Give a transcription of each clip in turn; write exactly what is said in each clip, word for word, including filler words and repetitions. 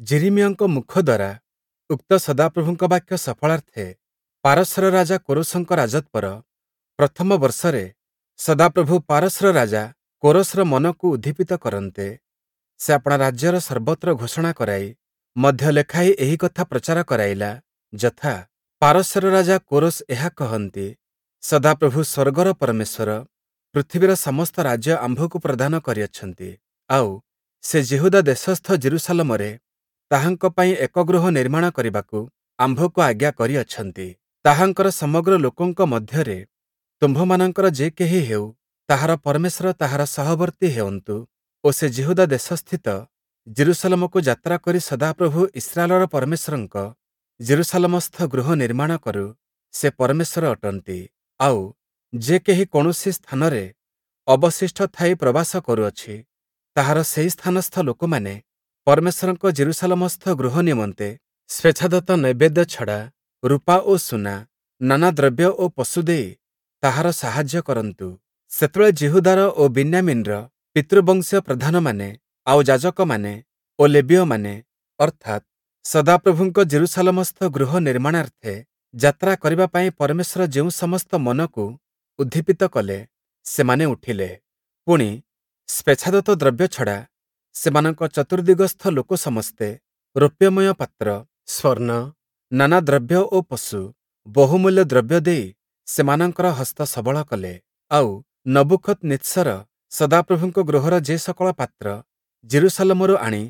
ଯିରିମିୟଙ୍କ ମୁଖ ଦ୍ଵାରା ଉକ୍ତ ସଦାପ୍ରଭୁଙ୍କ ବାକ୍ୟ ସଫଳାର୍ଥେ ପାରସ୍ୟର ରାଜା କୋରସଙ୍କ ରାଜତ୍ଵର ପ୍ରଥମ ବର୍ଷରେ ସଦାପ୍ରଭୁ ପାରସ୍ୟର ରାଜା କୋରସର ମନକୁ ଉଦ୍ଦୀପିତ କରନ୍ତେ, ସେ ଆପଣା ରାଜ୍ୟର ସର୍ବତ୍ର ଘୋଷଣା କରାଇ ମଧ୍ୟ ଲେଖାଇ ଏହି କଥା ପ୍ରଚାର କରାଇଲା, ଯଥା, ପାରସ୍ୟର ରାଜା କୋରସ ଏହା କହନ୍ତି, ସଦାପ୍ରଭୁ ସ୍ୱର୍ଗର ପରମେଶ୍ୱର ପୃଥିବୀର ସମସ୍ତ ରାଜ୍ୟ ଆମ୍ଭକୁ ପ୍ରଦାନ କରିଅଛନ୍ତି, ଆଉ ସେ ଯିହୁଦା ଦେଶସ୍ଥ ଯିରୂଶାଲମରେ ତାହାଙ୍କ ପାଇଁ ଏକ ଗୃହ ନିର୍ମାଣ କରିବାକୁ ଆମ୍ଭକୁ ଆଜ୍ଞା କରିଅଛନ୍ତି। ତାହାଙ୍କର ସମଗ୍ର ଲୋକଙ୍କ ମଧ୍ୟରେ ତୁମ୍ଭମାନଙ୍କର ଯେ କେହି ହେଉ, ତାହାର ପରମେଶ୍ୱର ତାହାର ସହବର୍ତ୍ତୀ ହେଉନ୍ତୁ ଓ ସେ ଯିହୁଦା ଦେଶସ୍ଥିତ ଯିରୂଶାଲମକୁ ଯାତ୍ରା କରି ସଦାପ୍ରଭୁ ଇସ୍ରାଏଲର ପରମେଶ୍ୱରଙ୍କ ଯିରୂଶାଲମସ୍ଥ ଗୃହ ନିର୍ମାଣ କରୁ, ସେ ପରମେଶ୍ୱର ଅଟନ୍ତି। ଆଉ ଯେ କେହି କୌଣସି ସ୍ଥାନରେ ଅବଶିଷ୍ଟ ଥାଇ ପ୍ରବାସ କରୁଅଛି, ତାହାର ସେହି ସ୍ଥାନସ୍ଥ ଲୋକମାନେ ପରମେଶ୍ୱରଙ୍କ ଯିରୂଶାଲମସ୍ଥ ଗୃହ ନିମନ୍ତେ ସ୍ୱେଚ୍ଛାଦତ୍ତ ନୈବେଦ୍ୟ ଛଡ଼ା ରୂପା ଓ ସୁନା, ନାନା ଦ୍ରବ୍ୟ ଓ ପଶୁ ଦେଇ ତାହାର ସାହାଯ୍ୟ କରନ୍ତୁ। ସେତେବେଳେ ଯିହୁଦାର ଓ ବିନ୍ୟାମୀନ୍‌ର ପିତୃବଂଶୀୟ ପ୍ରଧାନମାନେ, ଆଉ ଯାଜକମାନେ ଓ ଲେବୀୟମାନେ, ଅର୍ଥାତ୍ ସଦାପ୍ରଭୁଙ୍କ ଯିରୂଶାଲମସ୍ଥ ଗୃହ ନିର୍ମାଣାର୍ଥେ ଯାତ୍ରା କରିବା ପାଇଁ ପରମେଶ୍ୱର ଯେଉଁ ସମସ୍ତ ମନକୁ ଉଦ୍ଦୀପିତ କଲେ, ସେମାନେ ଉଠିଲେ। ପୁଣି, ସ୍ୱେଚ୍ଛାଦତ୍ତ ଦ୍ରବ୍ୟ ଛଡ଼ା ସେମାନଙ୍କ ଚତୁର୍ଦ୍ଦିଗସ୍ଥ ଲୋକ ସମସ୍ତେ ରୌପ୍ୟମୟ ପାତ୍ର, ସ୍ୱର୍ଣ୍ଣ, ନାନା ଦ୍ରବ୍ୟ ଓ ପଶୁ, ବହୁମୂଲ୍ୟ ଦ୍ରବ୍ୟ ଦେଇ ସେମାନଙ୍କର ହସ୍ତ ସବଳ କଲେ। ଆଉ ନବୂଖଦନିତ୍ସର ସଦାପ୍ରଭୁଙ୍କ ଗୃହର ଯେ ସକଳ ପାତ୍ର ଯିରୂଶାଲମରୁ ଆଣି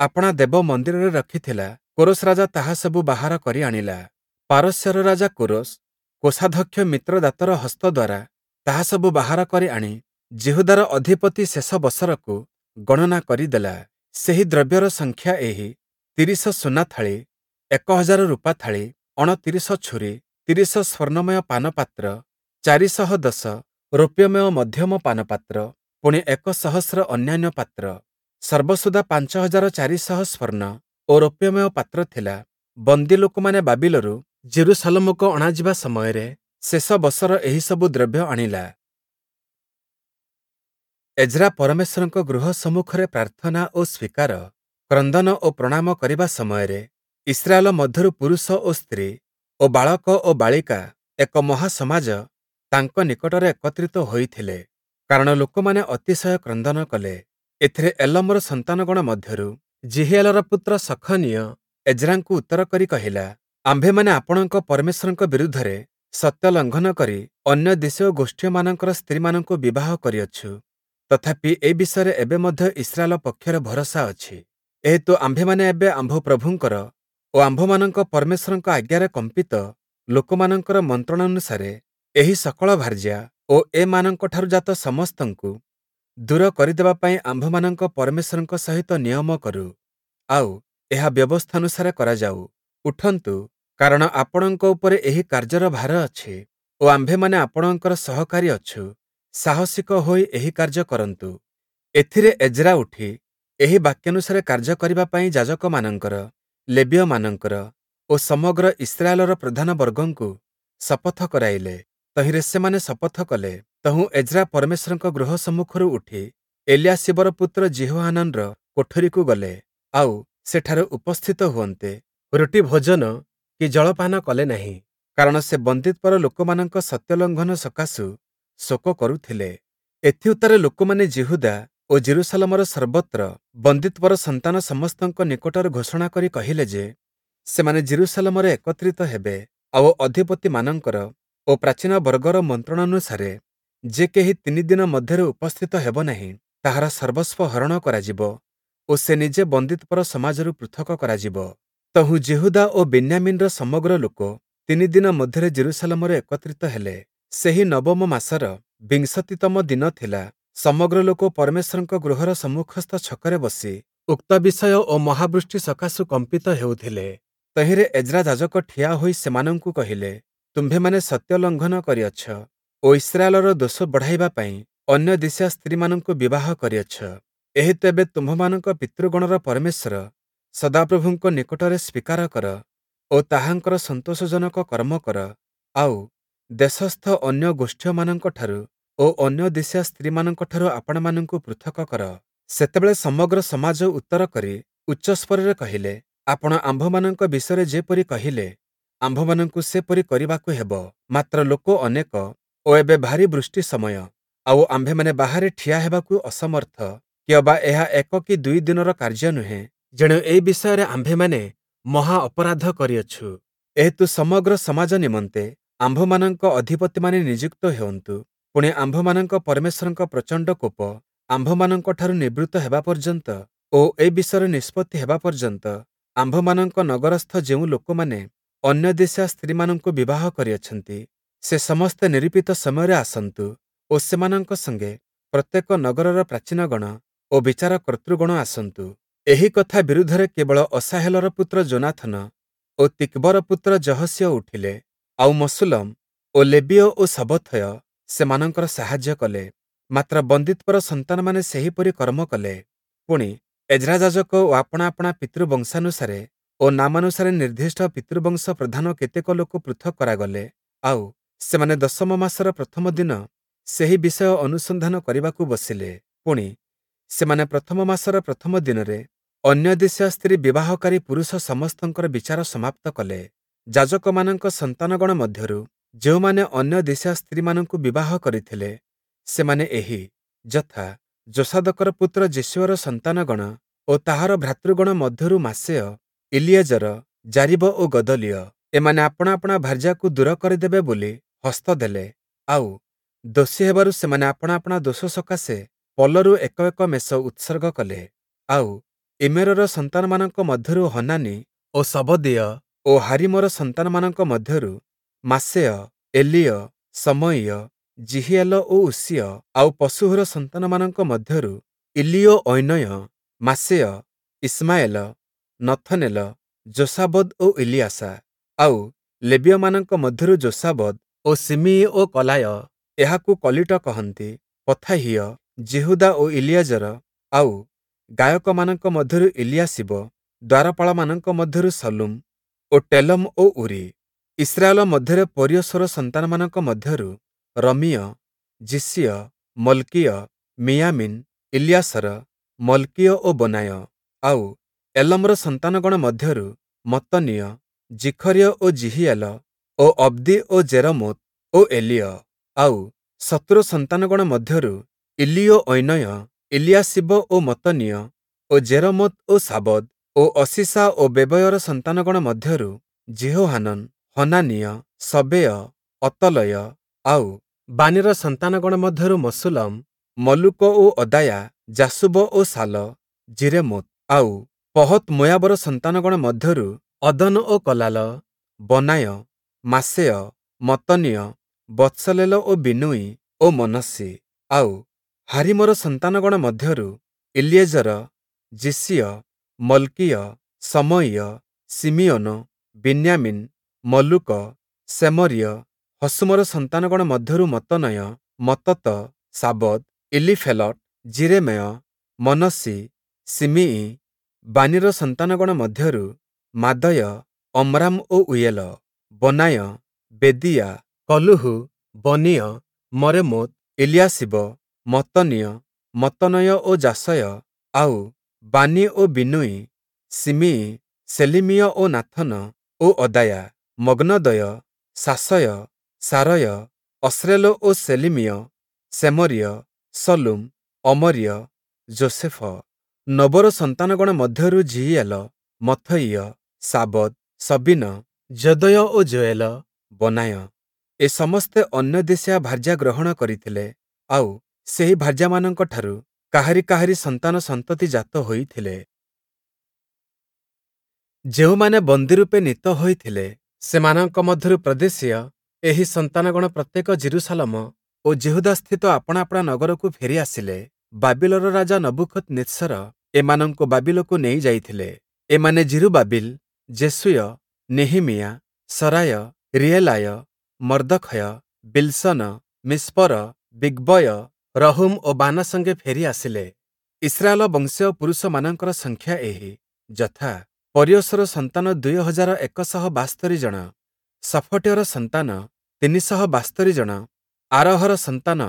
ଆପଣା ଦେବ ମନ୍ଦିରରେ ରଖିଥିଲା, କୋରସ ରାଜା ତାହା ସବୁ ବାହାର କରି ଆଣିଲା। ପାରସ୍ୟର ରାଜା କୋରସ କୋଷାଧ୍ୟକ୍ଷ ମିତ୍ରଦାତର ହସ୍ତ ଦ୍ଵାରା ତାହା ସବୁ ବାହାର କରି ଆଣି ଯିହୁଦାର ଅଧିପତି ଶେଷବସରକୁ ଗଣନା କରି ଦେଲା। ସେହି ଦ୍ରବ୍ୟର ସଂଖ୍ୟା ଏହି: ତିରିଶ ସୁନା ଥାଳି, ଏକ ହଜାର ରୂପା ଥାଳି, ଅଣତିରିଶ ଛୁରୀ, ତିରିଶ ସ୍ୱର୍ଣ୍ଣମୟ ପାନପାତ୍ର, ଚାରିଶହ ଦଶ ରୌପ୍ୟମୟ ମଧ୍ୟମ ପାନପାତ୍ର, ପୁଣି ଏକ ସହସ୍ର ଅନ୍ୟାନ୍ୟ ପାତ୍ର। ସର୍ବସୁଦ୍ଧା ପାଞ୍ଚ ହଜାର ଚାରିଶହ ସ୍ୱର୍ଣ୍ଣ ଓ ରୌପ୍ୟମୟ ପାତ୍ର ଥିଲା। ବନ୍ଦୀ ଲୋକମାନେ ବାବିଲରୁ ଯିରୂଶାଲମକୁ ଅଣାଯିବା ସମୟରେ ଶେଷବସର ଏହିସବୁ ଦ୍ରବ୍ୟ ଆଣିଲା। ଏଜ୍ରା ପରମେଶ୍ୱରଙ୍କ ଗୃହ ସମ୍ମୁଖରେ ପ୍ରାର୍ଥନା ଓ ସ୍ୱୀକାର, କ୍ରନ୍ଦନ ଓ ପ୍ରଣାମ କରିବା ସମୟରେ ଇସ୍ରାଏଲ ମଧ୍ୟରୁ ପୁରୁଷ ଓ ସ୍ତ୍ରୀ ଓ ବାଳକ ଓ ବାଳିକା ଏକ ମହାସମାଜ ତାଙ୍କ ନିକଟରେ ଏକତ୍ରିତ ହୋଇଥିଲେ, କାରଣ ଲୋକମାନେ ଅତିଶୟ କ୍ରନ୍ଦନ କଲେ। ଏଥିରେ ଏଲମର ସନ୍ତାନଗଣ ମଧ୍ୟରୁ ଯିହିଏଲର ପୁତ୍ର ସଖନୀୟ ଏଜ୍ରାଙ୍କୁ ଉତ୍ତର କରି କହିଲା, ଆମ୍ଭେମାନେ ଆପଣଙ୍କ ପରମେଶ୍ୱରଙ୍କ ବିରୁଦ୍ଧରେ ସତ୍ୟ ଲଙ୍ଘନ କରି ଅନ୍ୟ ଦେଶୀୟ ଗୋଷ୍ଠୀୟମାନଙ୍କର ସ୍ତ୍ରୀମାନଙ୍କୁ ବିବାହ କରିଅଛୁ। ତଥାପି ଏ ବିଷୟରେ ଏବେ ମଧ୍ୟ ଇସ୍ରାଏଲ ପକ୍ଷରେ ଭରସା ଅଛି। ଏହେତୁ ଆମ୍ଭେମାନେ ଏବେ ଆମ୍ଭ ପ୍ରଭୁଙ୍କର ଓ ଆମ୍ଭମାନଙ୍କ ପରମେଶ୍ୱରଙ୍କ ଆଜ୍ଞାରେ କମ୍ପିତ ଲୋକମାନଙ୍କର ମନ୍ତ୍ରଣାନୁସାରେ ଏହି ସକଳ ଭାର୍ଯ୍ୟା ଓ ଏମାନଙ୍କଠାରୁ ଜାତ ସମସ୍ତଙ୍କୁ ଦୂର କରିଦେବା ପାଇଁ ଆମ୍ଭମାନଙ୍କ ପରମେଶ୍ୱରଙ୍କ ସହିତ ନିୟମ କରୁ, ଆଉ ଏହା ବ୍ୟବସ୍ଥାନୁସାରେ କରାଯାଉ। ଉଠନ୍ତୁ, କାରଣ ଆପଣଙ୍କ ଉପରେ ଏହି କାର୍ଯ୍ୟର ଭାର ଅଛି ଓ ଆମ୍ଭେମାନେ ଆପଣଙ୍କର ସହକାରୀ ଅଛୁ। ସାହସିକ ହୋଇ ଏହି କାର୍ଯ୍ୟ କରନ୍ତୁ। ଏଥିରେ ଏଜ୍ରା ଉଠି ଏହି ବାକ୍ୟାନୁସାରେ କାର୍ଯ୍ୟ କରିବା ପାଇଁ ଯାଜକମାନଙ୍କର, ଲେବୀୟମାନଙ୍କର ଓ ସମଗ୍ର ଇସ୍ରାଏଲର ପ୍ରଧାନବର୍ଗଙ୍କୁ ଶପଥ କରାଇଲେ। ତହିଁରେ ସେମାନେ ଶପଥ କଲେ। ତହୁଁ ଏଜ୍ରା ପରମେଶ୍ୱରଙ୍କ ଗୃହ ସମ୍ମୁଖରୁ ଉଠି ଏଲିୟାଶୀବର ପୁତ୍ର ଯିହୋହାନାନର କୋଠରିକୁ ଗଲେ, ଆଉ ସେଠାରେ ଉପସ୍ଥିତ ହୁଅନ୍ତେ ରୁଟି ଭୋଜନ କି ଜଳପାନ କଲେ ନାହିଁ, କାରଣ ସେ ବନ୍ଦୀତ୍ୱର ଲୋକମାନଙ୍କ ସତ୍ୟଲଙ୍ଘନ ସକାଶୁ ଶୋକ କରୁଥିଲେ। ଏଥିଉତ୍ତାରେ ଲୋକମାନେ ଯିହୁଦା ଓ ଯିରୂଶାଲମର ସର୍ବତ୍ର ବନ୍ଦୀତ୍ୱର ସନ୍ତାନ ସମସ୍ତଙ୍କ ନିକଟରେ ଘୋଷଣା କରି କହିଲେ ଯେ, ସେମାନେ ଯିରୂଶାଲମରେ ଏକତ୍ରିତ ହେବେ, ଆଉ ଅଧିପତିମାନଙ୍କର ଓ ପ୍ରାଚୀନବର୍ଗର ମନ୍ତ୍ରଣାନୁସାରେ ଯେ କେହି ତିନି ଦିନ ମଧ୍ୟରେ ଉପସ୍ଥିତ ହେବ ନାହିଁ, ତାହାର ସର୍ବସ୍ୱ ହରଣ କରାଯିବ ଓ ସେ ନିଜେ ବନ୍ଦୀତ୍ୱର ସମାଜରୁ ପୃଥକ କରାଯିବ। ତହୁଁ ଯିହୁଦା ଓ ବିନ୍ୟାମୀନ୍‌ର ସମଗ୍ର ଲୋକ ତିନି ଦିନ ମଧ୍ୟରେ ଯିରୂଶାଲମରେ ଏକତ୍ରିତ ହେଲେ। ସେହି ନବମ ମାସର ବିଂଶତିତମ ଦିନ ଥିଲା। ସମଗ୍ର ଲୋକ ପରମେଶ୍ୱରଙ୍କ ଗୃହର ସମ୍ମୁଖସ୍ଥ ଛକରେ ବସି ଉକ୍ତ ବିଷୟ ଓ ମହାବୃଷ୍ଟି ସକାଶୁ କମ୍ପିତ ହେଉଥିଲେ। ତହିଁରେ ଏଜ୍ରା ଯାଜକ ଠିଆ ହୋଇ ସେମାନଙ୍କୁ କହିଲେ, ତୁମ୍ଭେମାନେ ସତ୍ୟ ଲଙ୍ଘନ କରିଅଛ ଓ ଇସ୍ରାଏଲର ଦୋଷ ବଢ଼ାଇବା ପାଇଁ ଅନ୍ୟ ଦେଶୀୟା ସ୍ତ୍ରୀମାନଙ୍କୁ ବିବାହ କରିଅଛ। ଏହେତୁ ଏବେ ତୁମ୍ଭମାନଙ୍କ ପିତୃଗଣର ପରମେଶ୍ୱର ସଦାପ୍ରଭୁଙ୍କ ନିକଟରେ ସ୍ୱୀକାର କର ଓ ତାହାଙ୍କର ସନ୍ତୋଷଜନକ କର୍ମ କର, ଆଉ ଦେଶସ୍ଥ ଅନ୍ୟ ଗୋଷ୍ଠୀୟମାନଙ୍କଠାରୁ ଓ ଅନ୍ୟ ଦେଶୀୟା ସ୍ତ୍ରୀମାନଙ୍କଠାରୁ ଆପଣାମାନଙ୍କୁ ପୃଥକ କର। ସେତେବେଳେ ସମଗ୍ର ସମାଜ ଉତ୍ତର କରି ଉଚ୍ଚସ୍ୱରରେ କହିଲେ, ଆପଣ ଆମ୍ଭମାନଙ୍କ ବିଷୟରେ ଯେପରି କହିଲେ, ଆମ୍ଭମାନଙ୍କୁ ସେପରି କରିବାକୁ ହେବ। ମାତ୍ର ଲୋକ ଅନେକ ଓ ଏବେ ଭାରୀ ବୃଷ୍ଟି ସମୟ, ଆଉ ଆମ୍ଭେମାନେ ବାହାରେ ଠିଆ ହେବାକୁ ଅସମର୍ଥ, କିଅବା ଏହା ଏକ କି ଦୁଇ ଦିନର କାର୍ଯ୍ୟ ନୁହେଁ। ଯେଣୁ ଏ ବିଷୟରେ ଆମ୍ଭେମାନେ ମହା ଅପରାଧ କରିଅଛୁ। ଏହେତୁ ସମଗ୍ର ସମାଜ ନିମନ୍ତେ ଆମ୍ଭମାନଙ୍କ ଅଧିପତିମାନେ ନିଯୁକ୍ତ ହେଉନ୍ତୁ, ପୁଣି ଆମ୍ଭମାନଙ୍କ ପରମେଶ୍ୱରଙ୍କ ପ୍ରଚଣ୍ଡ କୋପ ଆମ୍ଭମାନଙ୍କଠାରୁ ନିବୃତ୍ତ ହେବା ପର୍ଯ୍ୟନ୍ତ ଓ ଏ ବିଷୟରେ ନିଷ୍ପତ୍ତି ହେବା ପର୍ଯ୍ୟନ୍ତ ଆମ୍ଭମାନଙ୍କ ନଗରସ୍ଥ ଯେଉଁ ଲୋକମାନେ ଅନ୍ୟଦେଶୀୟା ସ୍ତ୍ରୀମାନଙ୍କୁ ବିବାହ କରିଅଛନ୍ତି, ସେ ସମସ୍ତେ ନିରୂପିତ ସମୟରେ ଆସନ୍ତୁ ଓ ସେମାନଙ୍କ ସଙ୍ଗେ ପ୍ରତ୍ୟେକ ନଗରର ପ୍ରାଚୀନଗଣ ଓ ବିଚାରକର୍ତ୍ତୃଗଣ ଆସନ୍ତୁ। ଏହି କଥା ବିରୁଦ୍ଧରେ କେବଳ ଅସାହେଲର ପୁତ୍ର ଯୋନାଥନ ଓ ତିକ୍ବର ପୁତ୍ର ଯହସୀୟ ଉଠିଲେ, ଆଉ ମଶୁଲ୍ଲମ୍ ଓ ଲେବୀୟ ଓ ଶବ୍ବଥୟ ସେମାନଙ୍କର ସାହାଯ୍ୟ କଲେ। ମାତ୍ର ବନ୍ଦୀତ୍ୱର ସନ୍ତାନମାନେ ସେହିପରି କର୍ମ କଲେ। ପୁଣି, ଏଜ୍ରା ଯାଜକ ଓ ଆପଣା ଆପଣା ପିତୃବଂଶାନୁସାରେ ଓ ନାମାନୁସାରେ ନିର୍ଦ୍ଦିଷ୍ଟ ପିତୃବଂଶ ପ୍ରଧାନ କେତେକ ଲୋକ ପୃଥକ୍ କରାଗଲେ, ଆଉ ସେମାନେ ଦଶମ ମାସର ପ୍ରଥମ ଦିନ ସେହି ବିଷୟ ଅନୁସନ୍ଧାନ କରିବାକୁ ବସିଲେ। ପୁଣି, ସେମାନେ ପ୍ରଥମ ମାସର ପ୍ରଥମ ଦିନରେ ଅନ୍ୟଦେଶୀୟା ସ୍ତ୍ରୀ ବିବାହକାରୀ ପୁରୁଷ ସମସ୍ତଙ୍କର ବିଚାର ସମାପ୍ତ କଲେ। ଯାଜକମାନଙ୍କ ସନ୍ତାନଗଣ ମଧ୍ୟରୁ ଯେଉଁମାନେ ଅନ୍ୟଦେଶୀୟା ସ୍ତ୍ରୀମାନଙ୍କୁ ବିବାହ କରିଥିଲେ, ସେମାନେ ଏହି, ଯଥା, ଯୋଷାଦକର ପୁତ୍ର ଯେଶୂୟର ସନ୍ତାନଗଣ ଓ ତାହାର ଭ୍ରାତୃଗଣ ମଧ୍ୟରୁ ମାସେୟ, ଇଲିଏଜର, ଯାରୀବ ଓ ଗଦଲିୟ। ଏମାନେ ଆପଣା ଆପଣା ଭାର୍ଯ୍ୟାକୁ ଦୂର କରିଦେବେ ବୋଲି ହସ୍ତ ଦେଲେ, ଆଉ ଦୋଷୀ ହେବାରୁ ସେମାନେ ଆପଣା ଆପଣା ଦୋଷ ସକାଶେ ପଲରୁ ଏକ ଏକ ମେଷ ଉତ୍ସର୍ଗ କଲେ। ଆଉ ଇମ୍ମେରର ସନ୍ତାନମାନଙ୍କ ମଧ୍ୟରୁ ହନାନି ଓ ଶବଦୀୟ ଓ ହାରୀମର ସନ୍ତାନମାନଙ୍କ ମଧ୍ୟରୁ ମାସେୟ, ଏଲୀୟ, ଶମୟୀୟ, ଯିହୀୟେଲ ଓ ଉଷୀୟ, ଆଉ ପଶହୂର ସନ୍ତାନମାନଙ୍କ ମଧ୍ୟରୁ ଇଲିୟୋଐନୟ, ମାସେୟ, ଇଶ୍ମାଏଲ, ନଥନେଲ, ଯୋଶାବଦ୍ ଓ ଇଲିୟାସା, ଆଉ ଲେବୀୟମାନଙ୍କ ମଧ୍ୟରୁ ଯୋଶାବଦ୍ ଓ ଶିମିୟି ଓ କଲାୟ, ଏହାକୁ କଲୀଟ କହନ୍ତି, ପଥାହିୟ, ଯିହୁଦା ଓ ଇଲିଏଜର, ଆଉ ଗାୟକମାନଙ୍କ ମଧ୍ୟରୁ ଇଲିୟାଶୀବ, ଦ୍ୱାରପାଳମାନଙ୍କ ମଧ୍ୟରୁ ଶଲ୍ଲୁମ୍ ଓ ଟେଲମ୍ ଓ ଊରି। ଇସ୍ରାଏଲ ମଧ୍ୟରେ ପରୋଶର ସନ୍ତାନମାନଙ୍କ ମଧ୍ୟରୁ ରମୀୟ, ଯିଶୀୟ, ମଲ୍କୀୟ, ମିୟାମିନ୍, ଇଲିୟାସର, ମଲ୍କୀୟ ଓ ବନାୟ, ଆଉ ଏଲମର ସନ୍ତାନଗଣ ମଧ୍ୟରୁ ମତ୍ତନୀୟ, ଜିଖରୀୟ ଓ ଯିହୀୟେଲ ଓ ଅବ୍ଦୀ ଓ ଜେରମୋତ୍ ଓ ଏଲୀୟ, ଆଉ ଶତୂର ସନ୍ତାନଗଣ ମଧ୍ୟରୁ ଇଲିୟୋଐନୟ, ଇଲିୟାଶୀବ ଓ ମତ୍ତନୀୟ ଓ ଜେରମୋତ୍ ଓ ଶାବଦ୍ ଓ ଅଶୀଶା ଓ ବେବୟର ସନ୍ତାନଗଣ ମଧ୍ୟରୁ ଯିହୋହାନନ୍, ହନାନୀୟ, ଶବେୟ, ଅତଲୟ, ଆଉ ବାନୀର ସନ୍ତାନଗଣ ମଧ୍ୟରୁ ମଶୁଲ୍ଲମ୍, ମଲ୍ଲୂକ ଓ ଅଦାୟା, ଯାଶୁବ ଓ ଶାଲ, ଯିରେମୋତ୍, ଆଉ ପହତ୍ ମୋୟାବର ସନ୍ତାନଗଣ ମଧ୍ୟରୁ ଅଦନ ଓ କଲାଲ, ବନାୟ, ମାସେୟ, ମତ୍ତନୀୟ, ବତ୍ସଲେଲ ଓ ବିନୂୟି ଓ ମନଶ୍ଶେ, ଆଉ ହାରୀମର ସନ୍ତାନଗଣ ମଧ୍ୟରୁ ଇଲିଏଜର, ଯିଶୀୟ, ମଲ୍କୀୟ, ଶମୟୀୟ, ଶିମିୟୋନ, ବିନ୍ୟାମୀନ୍, ମଲ୍ଲୂକ, ଶେମରୀୟ, ହଶୂମର ସନ୍ତାନଗଣ ମଧ୍ୟରୁ ମତ୍ତନୟ, ମତ୍ତତ, ଶାବଦ୍, ଇଲୀଫେଲଟ୍, ଯିରେମୟ, ମନଶ୍ଶେ, ଶିମିୟି, ବାନୀର ସନ୍ତାନଗଣ ମଧ୍ୟରୁ ମାଦୟ, ଅମ୍ରାମ ଓ ଉୟେଲ, ବନାୟ, ବେଦୀୟା, କଲୂହୂ, ବନୀୟ, ମରେମୋତ୍, ଇଲିୟାଶୀବ, ମତ୍ତନୀୟ, ମତ୍ତନୟ ଓ ଯାଶୟ, ଆଉ ବାନୀ ଓ ବିନୂୟି, ଶିମିୟି, ଶେଲିମୀୟ ଓ ନାଥନ ଓ ଅଦାୟା, ମଗ୍ନଦୟ, ଶାଶୟ, ଶାରୟ, ଅସ୍ରେଲ ଓ ଶେଲିମୀୟ, ଶେମରୀୟ, ଶଲ୍ଲୁମ୍, ଅମରୀୟ, ଯୋଷେଫ। ନୋବର ସନ୍ତାନଗଣ ମଧ୍ୟରୁ ଯିୟୀୟେଲ, ମଥୟିୟ, ଶାବଦ୍, ସବୀନ, ଯଦୟ ଓ ଯୋୟେଲ, ବନାୟ। ଏ ସମସ୍ତେ ଅନ୍ୟଦେଶୀୟା ଭାର୍ଯ୍ୟା ଗ୍ରହଣ କରିଥିଲେ, ଆଉ ସେହି ଭାର୍ଯ୍ୟାମାନଙ୍କଠାରୁ କାହାରି କାହାରି ସନ୍ତାନ ସନ୍ତତି ଜାତ ହୋଇଥିଲେ। ଯେଉଁମାନେ ବନ୍ଦୀରୂପେ ନୀତ ହୋଇଥିଲେ, ସେମାନଙ୍କ ମଧ୍ୟରୁ ପ୍ରଦେଶୀୟ ଏହି ସନ୍ତାନଗଣ ପ୍ରତ୍ୟେକ ଯିରୂଶାଲମ ଓ ଯିହୁଦାସ୍ଥିତ ଆପଣା ଆପଣା ନଗରକୁ ଫେରି ଆସିଲେ। ବାବିଲର ରାଜା ନବୂଖଦନିତ୍ସର ଏମାନଙ୍କୁ ବାବିଲକୁ ନେଇଯାଇଥିଲେ। ଏମାନେ ଯିରୁବାବିଲ, ଯେଶୂୟ, ନେହେମୀୟା, ସରାୟ, ରିଏଲାୟ, ମର୍ଦ୍ଦଖୟ, ବିଲ୍‌ଶନ, ମିସ୍ପର, ବିଗ୍‌ବୟ, ରହୂମ୍ ଓ ବାନା ସଙ୍ଗେ ଫେରି ଆସିଲେ। ଇସ୍ରାଏଲ ବଂଶୀୟ ପୁରୁଷମାନଙ୍କର ସଂଖ୍ୟା ଏହି, ଯଥା, ପରୋଶର ସନ୍ତାନ ଦୁଇ ହଜାର ଏକ ଶହ ବାସ୍ତରି ଜଣ, ଶଫଟୀୟର ସନ୍ତାନ ତିନି ଶହ ବାସ୍ତରି ଜଣ, ଆରହର ସନ୍ତାନ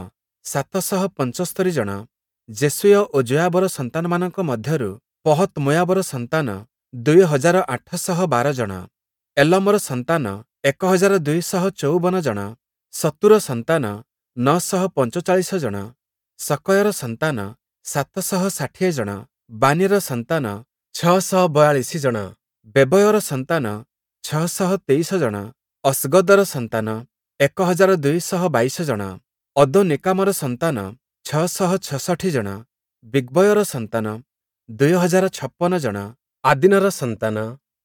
ସାତ ଶହ ପଞ୍ଚସ୍ତରି ଜଣ, ଯେଶୂୟ ଓ ଯୋୟାବର ସନ୍ତାନମାନଙ୍କ ମଧ୍ୟରୁ ପହତ୍-ମୋୟାବର ସନ୍ତାନ ଦୁଇ ହଜାର ଆଠ ଶହ ବାର ଜଣ, ଏଲମର ସନ୍ତାନ ଏକ ହଜାର ଦୁଇ ଶହ ଚଉବନ ଜଣ, ସତ୍ତୂର ସନ୍ତାନ ନଅ ଶହ ପଞ୍ଚଚାଳିଶ ଜଣ, ସକ୍କୟର ସନ୍ତାନ ସାତ ଶହ ଷାଠିଏ ଜଣ, ବାନୀର ସନ୍ତାନ ଛଅ ଶହ ବୟାଳିଶ ଜଣ, ବେବୟର ସନ୍ତାନ ଛଅ ଶହ ତେଇଶ ଜଣ, ଅସ୍ଗଦର ସନ୍ତାନ ଏକ ହଜାର ଦୁଇ ଶହ ବାଇଶ ଜଣ, ଅଦୋନୀକାମର ସନ୍ତାନ ଛଅ ଶହ ଛଷଠି ଜଣ, ବିଗ୍ବୟର ସନ୍ତାନ ଦୁଇ ହଜାର ଛପନ ଜଣ, ଆଦୀନର ସନ୍ତାନ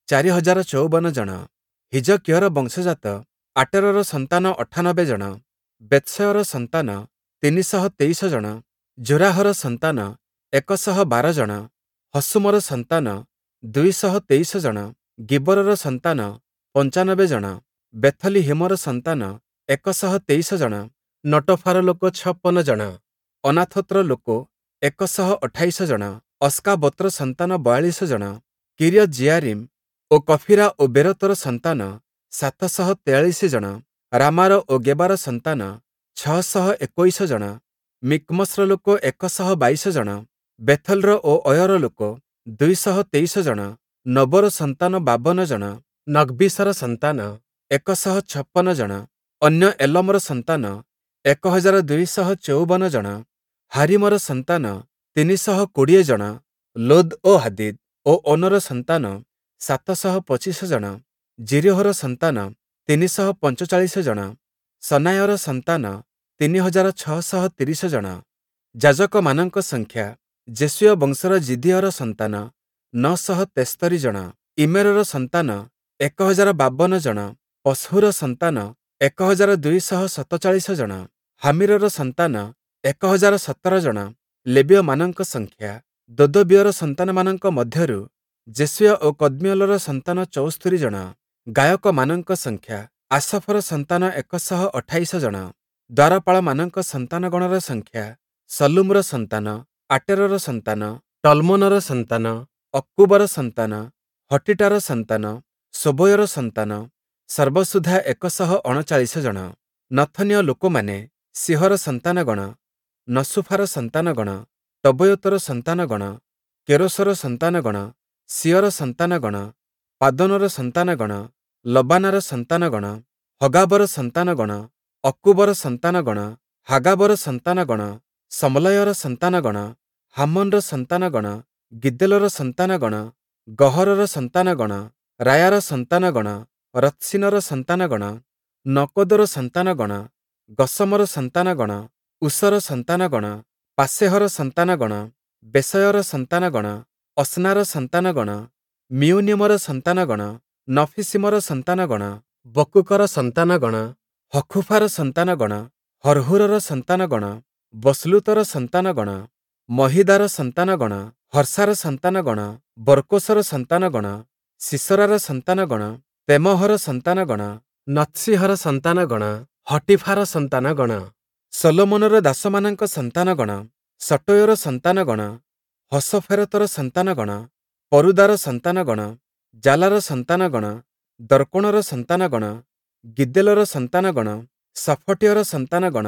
ଚାରି ହଜାର ଚଉବନ ଜଣ, ହିଜକୀୟର ବଂଶଜାତ ଆଟେରର ସନ୍ତାନ ଅଠାନବେ ଜଣ, ବେତ୍ସୟର ସନ୍ତାନ ତିନି ଶହ ତେଇଶ ଜଣ, ଜୋରାହର ସନ୍ତାନ ଏକ ଶହ ବାର ଜଣ, ହଶୂମର ସନ୍ତାନ ଦୁଇ ଶହ ତେଇଶ ଜଣ, ଗିବରର ସନ୍ତାନ ପଞ୍ଚାନବେ ଜଣ, ବେଥଲିହିମର ସନ୍ତାନ ଏକ ଶହ ତେଇଶ ଜଣ, ନଟୋଫାର ଲୋକ ଛପନ ଜଣ, ଅନାଥୋତ୍ର ଲୋକ ଏକ ଶହ ଅଠାଇଶ ଜଣ, ଅସ୍କାବୋତ୍ର ସନ୍ତାନ ବୟାଳିଶ ଜଣ, କିରିୟତ୍-ଯିୟାରୀମ୍ ଓ କଫୀରା ଓ ବେରୋତର ସନ୍ତାନ ସାତ ଶହ ତେୟାଳିଶ ଜଣ, ରାମାର ଓ ଗେବାର ସନ୍ତାନ ଛଅ ଶହ ଏକୋଇଶ ଜଣ, ମିକ୍ମସ୍‌ର ଲୋକ ଏକ ଶହ ବାଇଶ ଜଣ, ବେଥଲ୍‌ର ଓ ଅୟର ଲୋକ ଦୁଇ ଶହ ତେଇଶ ଜଣ, ନୋବର ସନ୍ତାନ ବାବନ ଜଣ, ନଗ୍ବୀଶର ସନ୍ତାନ ଏକ ଶହ ଛପନ ଜଣ, ଅନ୍ୟ ଏଲମର ସନ୍ତାନ ଏକ ହଜାର ଦୁଇ ଶହ ଚଉବନ ଜଣ, ହାରୀମର ସନ୍ତାନ ତିନି ଶହ କୋଡ଼ିଏ ଜଣ, ଲୋଦ୍ ଓ ହାଦୀଦ୍ ଓ ଓନୋର ସନ୍ତାନ ସାତ ଶହ ପଚିଶ ଜଣ, ଯିରୀହୋର ସନ୍ତାନ ତିନି ଶହ ପଞ୍ଚଚାଳିଶ ଜଣ, ସନାୟର ସନ୍ତାନ ତିନି ହଜାର ଛଅ ଶହ ତିରିଶ ଜଣ। ଯାଜକମାନଙ୍କ ସଂଖ୍ୟା ଯେଶୂୟ ବଂଶର ଯିଦିୟର ସନ୍ତାନ ନଅ ଶହ ତେସ୍ତରି ଜଣ, ଇମ୍ମେରର ସନ୍ତାନ ଏକ ହଜାର ବାବନ ଜଣ, ପଶ୍ହୂର ସନ୍ତାନ ଏକ ହଜାର ଦୁଇ ଶହ ସତଚାଳିଶ ଜଣ, ହାମୀରର ସନ୍ତାନ ଏକ ହଜାର ସତର ଜଣ। ଲେବୀୟମାନଙ୍କ ସଂଖ୍ୟା ଦୋଦବୀୟର ସନ୍ତାନମାନଙ୍କ ମଧ୍ୟରୁ ଯେଶୂୟ ଓ କଦ୍ମୀୟେଲର ସନ୍ତାନ ଚଉସ୍ତରି ଜଣ। ଗାୟକମାନଙ୍କ ସଂଖ୍ୟା ଆସଫର ସନ୍ତାନ ଏକ ଶହ ଅଠାଇଶ ଜଣ। ଦ୍ୱାରପାଳମାନଙ୍କ ସନ୍ତାନଗଣର ସଂଖ୍ୟା ଶଲ୍ଲୁମର ସନ୍ତାନ, ଆଟେରର ସନ୍ତାନ, ଟଲ୍‌ମୋନର ସନ୍ତାନ, ଅକ୍କୂବର ସନ୍ତାନ, ହଟୀଟାର ସନ୍ତାନ, ଶୋବୟର ସନ୍ତାନ ସର୍ବସୁଦ୍ଧା ଏକ ଶହ ଅଣଚାଳିଶ ଜଣ। ନଥନୀୟ ଲୋକମାନେ ସୀହର ସନ୍ତାନଗଣ, ନସୁଫାର ସନ୍ତାନଗଣ, ଟବୋୟତର ସନ୍ତାନଗଣ, କେରୋସର ସନ୍ତାନଗଣ, ସୀୟର ସନ୍ତାନଗଣ, ପାଦୋନର ସନ୍ତାନଗଣ, ଲବାନାର ସନ୍ତାନଗଣ, ହଗାବର ସନ୍ତାନଗଣ, ଅକ୍କୂବର ସନ୍ତାନଗଣ, ହାଗାବର ସନ୍ତାନଗଣ, ଶମ୍ଲୟର ସନ୍ତାନଗଣ, ହାମନ୍‌ର ସନ୍ତାନଗଣ, ଗିଦ୍ଦେଲର ସନ୍ତାନଗଣ, ଗହରର ସନ୍ତାନଗଣ, ରାୟାର ସନ୍ତାନଗଣ, ରତ୍ସୀନର ସନ୍ତାନଗଣ, ନକୋଦର ସନ୍ତାନଗଣ, ଗସମର ସନ୍ତାନଗଣ, ଉସର ସନ୍ତାନଗଣ, ପାସେହର ସନ୍ତାନଗଣ, ବେସୟର ସନ୍ତାନଗଣ, ଅସ୍ନାର ସନ୍ତାନଗଣ, ମିୟୂନୀମର ସନ୍ତାନଗଣ, ନଫୀସୀମର ସନ୍ତାନଗଣ, ବକ୍ବୁକର ସନ୍ତାନଗଣ, ହଖୁଫାର ସନ୍ତାନଗଣ, ହର୍ହୂରର ସନ୍ତାନଗଣ, ବସ୍ଲୂତର ସନ୍ତାନଗଣ, ମହୀଦାର ସନ୍ତାନଗଣ, ହର୍ଷାର ସନ୍ତାନଗଣ, ବର୍କୋସର ସନ୍ତାନଗଣ, ସୀସରାର ସନ୍ତାନଗଣ, ତେମହର ସନ୍ତାନଗଣ, ନତ୍ସୀହର ସନ୍ତାନଗଣ, ହଟୀଫାର ସନ୍ତାନଗଣ, ଶଲୋମନର ଦାସମାନଙ୍କ ସନ୍ତାନଗଣ, ସଟୋୟର ସନ୍ତାନଗଣ, ହସୋଫେରତର ସନ୍ତାନଗଣ, ପରୁଦାର ସନ୍ତାନଗଣ, ଜାଲାର ସନ୍ତାନଗଣ, ଦର୍କୋଣର ସନ୍ତାନଗଣ, ଗିଦ୍ଦେଲର ସନ୍ତାନଗଣ, ଶଫଟୀୟର ସନ୍ତାନଗଣ,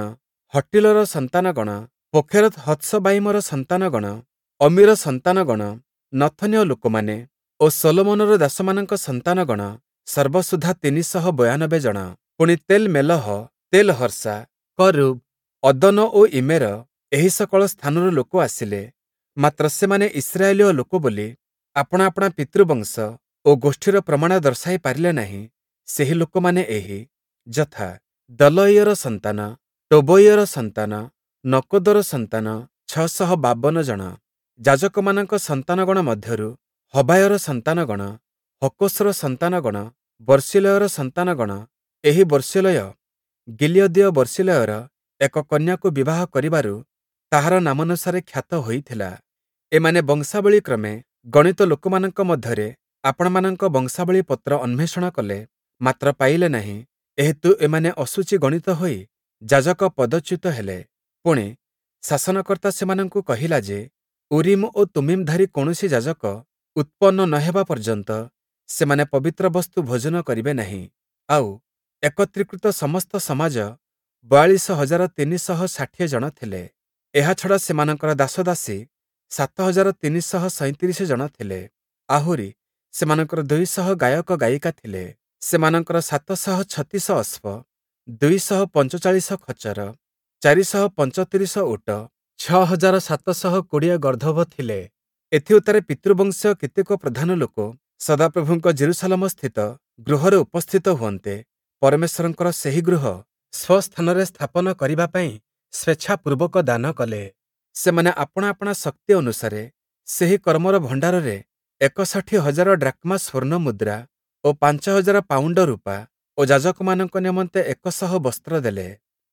ହଟ୍ଟୀଲର ସନ୍ତାନଗଣ, ପୋଖେରତ୍ ହତ୍ସବାୟିମର ସନ୍ତାନଗଣ, ଅମୀର ସନ୍ତାନଗଣ, ନଥନୀୟ ଲୋକମାନେ ଓ ଶଲୋମନର ଦାସମାନଙ୍କ ସନ୍ତାନଗଣ ସର୍ବସୁଦ୍ଧା ତିନି ଶହ ବୟାନବେ ଜଣ। ପୁଣି ତେଲ୍ ମେଲହ, ତେଲ୍ ହର୍ସା, କରୂବ୍, ଅଦ୍ଦନ ଓ ଇମ୍ମେର ଏହି ସକଳ ସ୍ଥାନରୁ ଲୋକ ଆସିଲେ, ମାତ୍ର ସେମାନେ ଇସ୍ରାଏଲୀୟ ଲୋକ ବୋଲି ଆପଣା ଆପଣା ପିତୃବଂଶ ଓ ଗୋଷ୍ଠୀର ପ୍ରମାଣ ଦର୍ଶାଇ ପାରିଲେ ନାହିଁ। ସେହି ଲୋକମାନେ ଏହି, ଯଥା, ଦଲୟୀୟର ସନ୍ତାନ, ଟୋବୀୟର ସନ୍ତାନ, ନକୋଦର ସନ୍ତାନ ଛଅ ଶହ ବାବନ ଜଣ। ଯାଜକମାନଙ୍କ ସନ୍ତାନଗଣ ମଧ୍ୟରୁ ହବାୟର ସନ୍ତାନଗଣ, ହକ୍କୋସ୍‌ର ସନ୍ତାନଗଣ, ବର୍ସିଲ୍ଲୟର ସନ୍ତାନଗଣ। ଏହି ବର୍ସିଲ୍ଲୟ ଗିଲିୟଦୀୟ ବର୍ସିଲ୍ଲୟର ଏକ କନ୍ୟାକୁ ବିବାହ କରିବାରୁ ତାହାର ନାମାନୁସାରେ ଖ୍ୟାତ ହୋଇଥିଲା। ଏମାନେ ବଂଶାବଳୀ କ୍ରମେ ଗଣିତ ଲୋକମାନଙ୍କ ମଧ୍ୟରେ ଆପଣାମାନଙ୍କ ବଂଶାବଳୀ ପତ୍ର ଅନ୍ୱେଷଣ କଲେ, ମାତ୍ର ପାଇଲେ ନାହିଁ। ଏହେତୁ ଏମାନେ ଅଶୁଚି ଗଣିତ ହୋଇ ଯାଜକ ପଦଚ୍ୟୁତ ହେଲେ। ପୁଣି, ଶାସନକର୍ତ୍ତା ସେମାନଙ୍କୁ କହିଲା ଯେ, ଉରୀମ୍ ଓ ତୁମ୍ମୀମ୍‌ଧାରୀ କୌଣସି ଯାଜକ ଉତ୍ପନ୍ନ ନ ହେବା ପର୍ଯ୍ୟନ୍ତ ସେମାନେ ପବିତ୍ର ବସ୍ତୁ ଭୋଜନ କରିବେ ନାହିଁ। ଆଉ ଏକତ୍ରୀକୃତ ସମସ୍ତ ସମାଜ ବୟାଳିଶ ହଜାର ତିନି ଶହ ଷାଠିଏ ଜଣ ଥିଲେ। ଏହା ଛଡ଼ା ସେମାନଙ୍କର ଦାସଦାସୀ ସାତ ହଜାର ତିନି ଶହ ସଇଁତିରିଶ ଜଣ ଥିଲେ। ଆହୁରି ସେମାନଙ୍କର ଦୁଇ ଶହ ଗାୟକ ଗାୟିକା ଥିଲେ। ସେମାନଙ୍କର ସାତ ଶହ ଛତିଶ ଅଶ୍ଵ, ଦୁଇ ଶହ ପଞ୍ଚଚାଳିଶ ଖଚ୍ଚର, ଚାରି ଶହ ପଞ୍ଚତିରିଶ ଓଟ, ଛଅ ହଜାର ସାତ ଶହ କୋଡ଼ିଏ ଗର୍ଦ୍ଦଭ ଥିଲେ। ଏଥିଉତ୍ତାରେ ପିତୃବଂଶୀୟ କେତେକ ପ୍ରଧାନ ଲୋକ ସଦାପ୍ରଭୁଙ୍କ ଯିରୂଶାଲମସ୍ଥିତ ଗୃହରେ ଉପସ୍ଥିତ ହୁଅନ୍ତେ, ପରମେଶ୍ୱରଙ୍କର ସେହି ଗୃହ ସ୍ୱସ୍ଥାନରେ ସ୍ଥାପନ କରିବା ପାଇଁ ସ୍ୱେଚ୍ଛାପୂର୍ବକ ଦାନ କଲେ। ସେମାନେ ଆପଣା ଆପଣା ଶକ୍ତି ଅନୁସାରେ ସେହି କର୍ମର ଭଣ୍ଡାରରେ ଏକଷଠି ହଜାର ଡ୍ରାକ୍ମା ସ୍ଵର୍ଣ୍ଣ ମୁଦ୍ରା ଓ ପାଞ୍ଚ ହଜାର ପାଉଣ୍ଡ ରୂପା ଓ ଯାଜକମାନଙ୍କ ନିମନ୍ତେ ଏକ ଶହ ବସ୍ତ୍ର ଦେଲେ।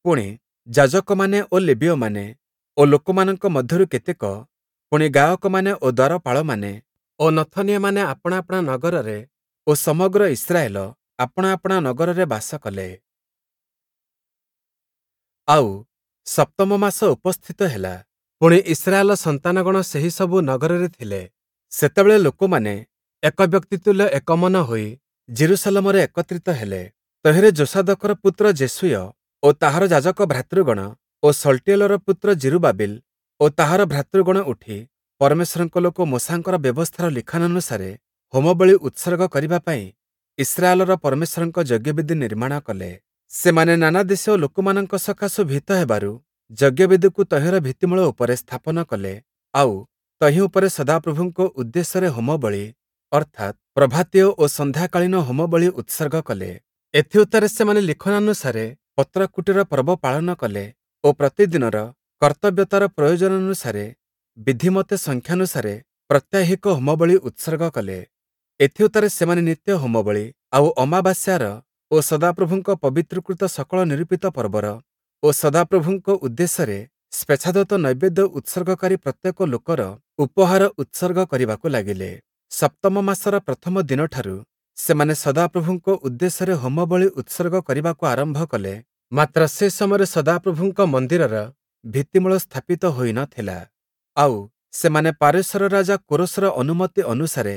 ପୁଣି, ଯାଜକମାନେ ଓ ଲେବୀୟମାନେ ଓ ଲୋକମାନଙ୍କ ମଧ୍ୟରୁ କେତେକ, ପୁଣି ଗାୟକମାନେ ଓ ଦ୍ଵାରପାଳମାନେ ଓ ନଥନୀୟମାନେ ଆପଣା ଆପଣା ନଗରରେ ଓ ସମଗ୍ର ଇସ୍ରାଏଲ ଆପଣା ଆପଣା ନଗରରେ ବାସ କଲେ। ଆଉ, ସପ୍ତମ ମାସ ଉପସ୍ଥିତ ହେଲା, ପୁଣି ଇସ୍ରାଏଲ ସନ୍ତାନଗଣ ସେହି ସବୁ ନଗରରେ ଥିଲେ। ସେତେବେଳେ ଲୋକମାନେ ଏକ ବ୍ୟକ୍ତି ତୁଲ୍ୟ ଏକମନ ହୋଇ ଯିରୂଶାଲମରେ ଏକତ୍ରିତ ହେଲେ। ତହିଁରେ ଯୋଷାଦକର ପୁତ୍ର ଯେଶୂୟ ଓ ତାହାର ଯାଜକ ଭ୍ରାତୃଗଣ ଓ ଶଲ୍ଟୀୟେଲର ପୁତ୍ର ଯିରୁବାବିଲ ଓ ତାହାର ଭ୍ରାତୃଗଣ ଉଠି ପରମେଶ୍ୱରଙ୍କ ଲୋକ ମୋଶାଙ୍କର ବ୍ୟବସ୍ଥାର ଲିଖନାନୁସାରେ ହୋମବଳି ଉତ୍ସର୍ଗ କରିବା ପାଇଁ ଇସ୍ରାଏଲର ପରମେଶ୍ୱରଙ୍କ ଯଜ୍ଞବେଦି ନିର୍ମାଣ କଲେ। ସେମାନେ ନାନା ଦେଶୀୟ ଲୋକମାନଙ୍କ ସକାଶୁ ଭୀତ ହେବାରୁ ଯଜ୍ଞବେଦିକୁ ତହିଁର ଭିତ୍ତିମୂଳ ଉପରେ ସ୍ଥାପନ କଲେ। ଆଉ, ତହିଁ ଉପରେ ସଦାପ୍ରଭୁଙ୍କ ଉଦ୍ଦେଶ୍ୟରେ ହୋମବଳି, ଅର୍ଥାତ୍ ପ୍ରଭାତୀୟ ଓ ସନ୍ଧ୍ୟାକାଳୀନ ହୋମବଳି ଉତ୍ସର୍ଗ କଲେ। ଏଥିଉତ୍ତାରେ ସେମାନେ ଲିଖନାନୁସାରେ ପତ୍ରକୁଟୀର ପର୍ବ ପାଳନ କଲେ ଓ ପ୍ରତିଦିନର କର୍ତ୍ତବ୍ୟତାର ପ୍ରୟୋଜନାନୁସାରେ ବିଧିମତେ ସଂଖ୍ୟାନୁସାରେ ପ୍ରତ୍ୟାହିକ ହୋମବଳି ଉତ୍ସର୍ଗ କଲେ। ଏଥିଉତ୍ତାରେ ସେମାନେ ନିତ୍ୟ ହୋମବଳି, ଆଉ ଅମାବାସ୍ୟାର ଓ ସଦାପ୍ରଭୁଙ୍କ ପବିତ୍ରୀକୃତ ସକଳ ନିରୂପିତ ପର୍ବର ଓ ସଦାପ୍ରଭୁଙ୍କ ଉଦ୍ଦେଶ୍ୟରେ ସ୍ୱେଚ୍ଛାଦତ୍ତ ନୈବେଦ୍ୟ ଉତ୍ସର୍ଗକାରୀ ପ୍ରତ୍ୟେକ ଲୋକର ଉପହାର ଉତ୍ସର୍ଗ କରିବାକୁ ଲାଗିଲେ। ସପ୍ତମ ମାସର ପ୍ରଥମ ଦିନଠାରୁ ସେମାନେ ସଦାପ୍ରଭୁଙ୍କ ଉଦ୍ଦେଶ୍ୟରେ ହୋମବଳି ଉତ୍ସର୍ଗ କରିବାକୁ ଆରମ୍ଭ କଲେ, ମାତ୍ର ସେ ସମୟରେ ସଦାପ୍ରଭୁଙ୍କ ମନ୍ଦିରର ଭିତ୍ତିମୂଳ ସ୍ଥାପିତ ହୋଇ ନ ଥିଲା। ଆଉ, ସେମାନେ ପାରସ୍ୟର ରାଜା କୋରସର ଅନୁମତି ଅନୁସାରେ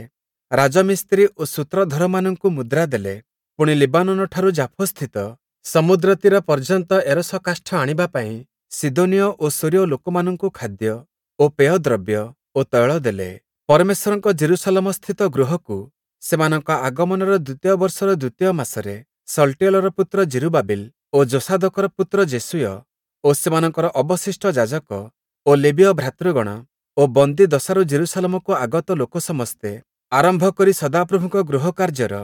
ରାଜମିସ୍ତ୍ରୀ ଓ ସୂତ୍ରଧରମାନଙ୍କୁ ମୁଦ୍ରା ଦେଲେ। ପୁଣି ଲିବାନୋନଠାରୁ ଜାଫୋସ୍ଥିତ ସମୁଦ୍ର ତୀର ପର୍ଯ୍ୟନ୍ତ ଏରସ କାଷ୍ଠ ଆଣିବା ପାଇଁ ସିଦୋନୀୟ ଓ ସୂରୀୟ ଲୋକମାନଙ୍କୁ ଖାଦ୍ୟ ଓ ପେୟଦ୍ରବ୍ୟ ଓ ତୈଳ ଦେଲେ। ପରମେଶ୍ୱରଙ୍କ ଯିରୂଶାଲମସ୍ଥିତ ଗୃହକୁ ସେମାନଙ୍କ ଆଗମନର ଦ୍ୱିତୀୟ ବର୍ଷର ଦ୍ୱିତୀୟ ମାସରେ ଶଲ୍ଟୀୟେଲର ପୁତ୍ର ଯିରୁବାବିଲ ଓ ଯୋଷାଦକର ପୁତ୍ର ଯେଶୂୟ ଓ ସେମାନଙ୍କର ଅବଶିଷ୍ଟ ଯାଜକ ଓ ଲେବୀୟ ଭ୍ରାତୃଗଣ ଓ ବନ୍ଦୀ ଦଶାରୁ ଯିରୂଶାଲମକୁ ଆଗତ ଲୋକ ସମସ୍ତେ ଆରମ୍ଭ କରି ସଦାପ୍ରଭୁଙ୍କ ଗୃହ କାର୍ଯ୍ୟର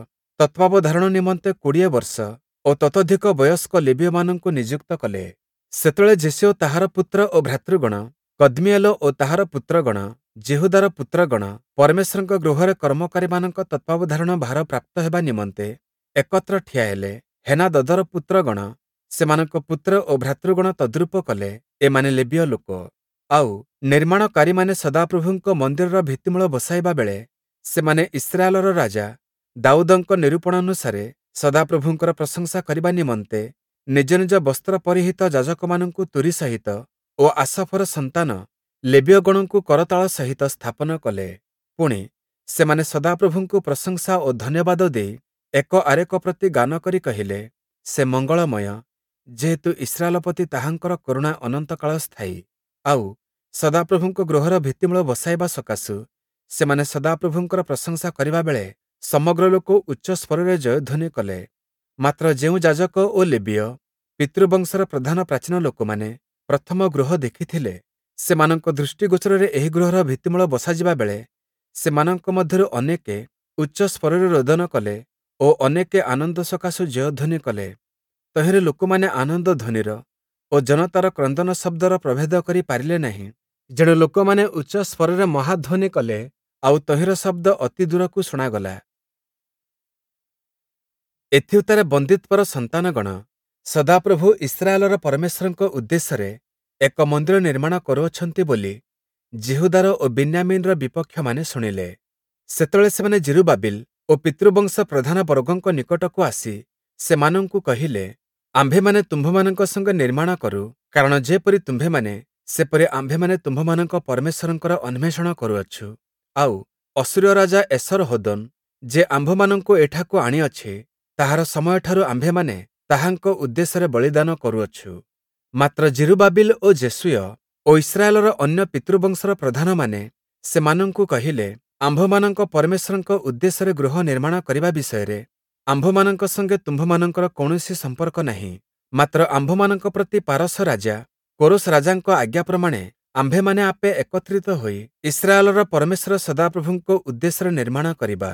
ତତ୍ତ୍ୱାବଧାରଣ ନିମନ୍ତେ କୋଡ଼ିଏ ବର୍ଷ ଓ ତତୋଧିକ ବୟସ୍କ ଲେବୀୟମାନଙ୍କୁ ନିଯୁକ୍ତ କଲେ। ସେତେବେଳେ ଯେଶୂୟ ତାହାର ପୁତ୍ର ଓ ଭ୍ରାତୃଗଣ, କଦ୍ମୀୟେଲ ଓ ତାହାର ପୁତ୍ରଗଣ, ଯିହୁଦାର ପୁତ୍ରଗଣ ପରମେଶ୍ୱରଙ୍କ ଗୃହରେ କର୍ମକାରୀମାନଙ୍କ ତତ୍ତ୍ୱାବଧାରଣ ଭାର ପ୍ରାପ୍ତ ହେବା ନିମନ୍ତେ ଏକତ୍ର ଠିଆ ହେଲେ। ହେନାଦଦର ପୁତ୍ରଗଣ, ସେମାନଙ୍କ ପୁତ୍ର ଓ ଭ୍ରାତୃଗଣ ତଦ୍ରୂପ କଲେ। ଏମାନେ ଲେବୀୟ ଲୋକ। ଆଉ, ନିର୍ମାଣକାରୀମାନେ ସଦାପ୍ରଭୁଙ୍କ ମନ୍ଦିରର ଭିତ୍ତିମୂଳ ବସାଇବା ବେଳେ ସେମାନେ ଇସ୍ରାଏଲର ରାଜା ଦାଉଦଙ୍କ ନିରୂପଣାନୁସାରେ ସଦାପ୍ରଭୁଙ୍କର ପ୍ରଶଂସା କରିବା ନିମନ୍ତେ ନିଜ ନିଜ ବସ୍ତ୍ର ପରିହିତ ଯାଜକମାନଙ୍କୁ ତୂରୀ ସହିତ ଓ ଆସଫର ସନ୍ତାନ ଲେବୀୟଗଣଙ୍କୁ କରତାଳ ସହିତ ସ୍ଥାପନ କଲେ। ପୁଣି, ସେମାନେ ସଦାପ୍ରଭୁଙ୍କୁ ପ୍ରଶଂସା ଓ ଧନ୍ୟବାଦ ଦେଇ ଏକ ଆରେକ ପ୍ରତି ଗାନ କରି କହିଲେ, ସେ ମଙ୍ଗଳମୟ, ଯେହେତୁ ଇସ୍ରାଏଲ ପ୍ରତି ତାହାଙ୍କର କରୁଣା ଅନନ୍ତକାଳ ସ୍ଥାୟୀ। ଆଉ, ସଦାପ୍ରଭୁଙ୍କ ଗୃହର ଭିତ୍ତିମୂଳ ବସାଇବା ସକାଶୁ ସେମାନେ ସଦାପ୍ରଭୁଙ୍କର ପ୍ରଶଂସା କରିବା ବେଳେ ସମଗ୍ର ଲୋକ ଉଚ୍ଚ ସ୍ୱରରେ ଜୟଧ୍ୱନି କଲେ। ମାତ୍ର ଯେଉଁ ଯାଜକ ଓ ଲେବୀୟ ପିତୃବଂଶର ପ୍ରଧାନ ପ୍ରାଚୀନ ଲୋକମାନେ ପ୍ରଥମ ଗୃହ ଦେଖିଥିଲେ, ସେମାନଙ୍କ ଦୃଷ୍ଟିଗୋଚରରେ ଏହି ଗୃହର ଭିତ୍ତିମୂଳ ବସାଯିବା ବେଳେ ସେମାନଙ୍କ ମଧ୍ୟରୁ ଅନେକେ ଉଚ୍ଚ ସ୍ୱରରେ ରୋଦନ କଲେ ଓ ଅନେକେ ଆନନ୍ଦ ସକାଶୁ ଜୟଧ୍ୱନି କଲେ। ତହିଁରେ ଲୋକମାନେ ଆନନ୍ଦ ଧ୍ୱନିର ଓ ଜନତାର କ୍ରନ୍ଦନ ଶବ୍ଦର ପ୍ରଭେଦ କରି ପାରିଲେ ନାହିଁ। ଯେଣୁ ଲୋକମାନେ ଉଚ୍ଚ ସ୍ୱରରେ ମହାଧ୍ୱନି କଲେ, ଆଉ ତହିଁର ଶବ୍ଦ ଅତି ଦୂରକୁ ଶୁଣାଗଲା। ଏଥିଉତ୍ତାରେ ବନ୍ଦୀତ୍ୱର ସନ୍ତାନଗଣ ସଦାପ୍ରଭୁ ଇସ୍ରାଏଲର ପରମେଶ୍ୱରଙ୍କ ଉଦ୍ଦେଶ୍ୟରେ ଏକ ମନ୍ଦିର ନିର୍ମାଣ କରୁଅଛନ୍ତି ବୋଲି ଯିହୁଦାର ଓ ବିନ୍ୟାମୀନର ବିପକ୍ଷମାନେ ଶୁଣିଲେ। ସେତେବେଳେ ସେମାନେ ଯିରୁବାବିଲ ଓ ପିତୃବଂଶ ପ୍ରଧାନ ବର୍ଗଙ୍କ ନିକଟକୁ ଆସି ସେମାନଙ୍କୁ କହିଲେ, ଆମ୍ଭେମାନେ ତୁମ୍ଭମାନଙ୍କ ସଙ୍ଗେ ନିର୍ମାଣ କରୁ, କାରଣ ଯେପରି ତୁମ୍ଭେମାନେ ସେପରି ଆମ୍ଭେମାନେ ତୁମ୍ଭମାନଙ୍କ ପରମେଶ୍ୱରଙ୍କର ଅନ୍ୱେଷଣ କରୁଅଛୁ। ଆଉ, ଅଶୂରୀୟ ରାଜା ଏସର୍‌ହଦୋନ୍ ଯେ ଆମ୍ଭମାନଙ୍କୁ ଏଠାକୁ ଆଣିଅଛି, ତାହାର ସମୟଠାରୁ ଆମ୍ଭେମାନେ ତାହାଙ୍କ ଉଦ୍ଦେଶ୍ୟରେ ବଳିଦାନ କରୁଅଛୁ। ମାତ୍ର ଯିରୁବାବିଲ ଓ ଯେଶୂୟ ଓ ଇସ୍ରାଏଲର ଅନ୍ୟ ପିତୃବଂଶର ପ୍ରଧାନମାନେ ସେମାନଙ୍କୁ କହିଲେ, ଆମ୍ଭମାନଙ୍କ ପରମେଶ୍ୱରଙ୍କ ଉଦ୍ଦେଶ୍ୟରେ ଗୃହ ନିର୍ମାଣ କରିବା ବିଷୟରେ ଆମ୍ଭମାନଙ୍କ ସଙ୍ଗେ ତୁମ୍ଭମାନଙ୍କର କୌଣସି ସମ୍ପର୍କ ନାହିଁ। ମାତ୍ର ଆମ୍ଭମାନଙ୍କ ପ୍ରତି ପାରସ ରାଜା କୋରସ ରାଜାଙ୍କ ଆଜ୍ଞା ପ୍ରମାଣେ ଆମ୍ଭେମାନେ ଆପେ ଏକତ୍ରିତ ହୋଇ ଇସ୍ରାଏଲର ପରମେଶ୍ୱର ସଦାପ୍ରଭୁଙ୍କ ଉଦ୍ଦେଶ୍ୟରେ ନିର୍ମାଣ କରିବା।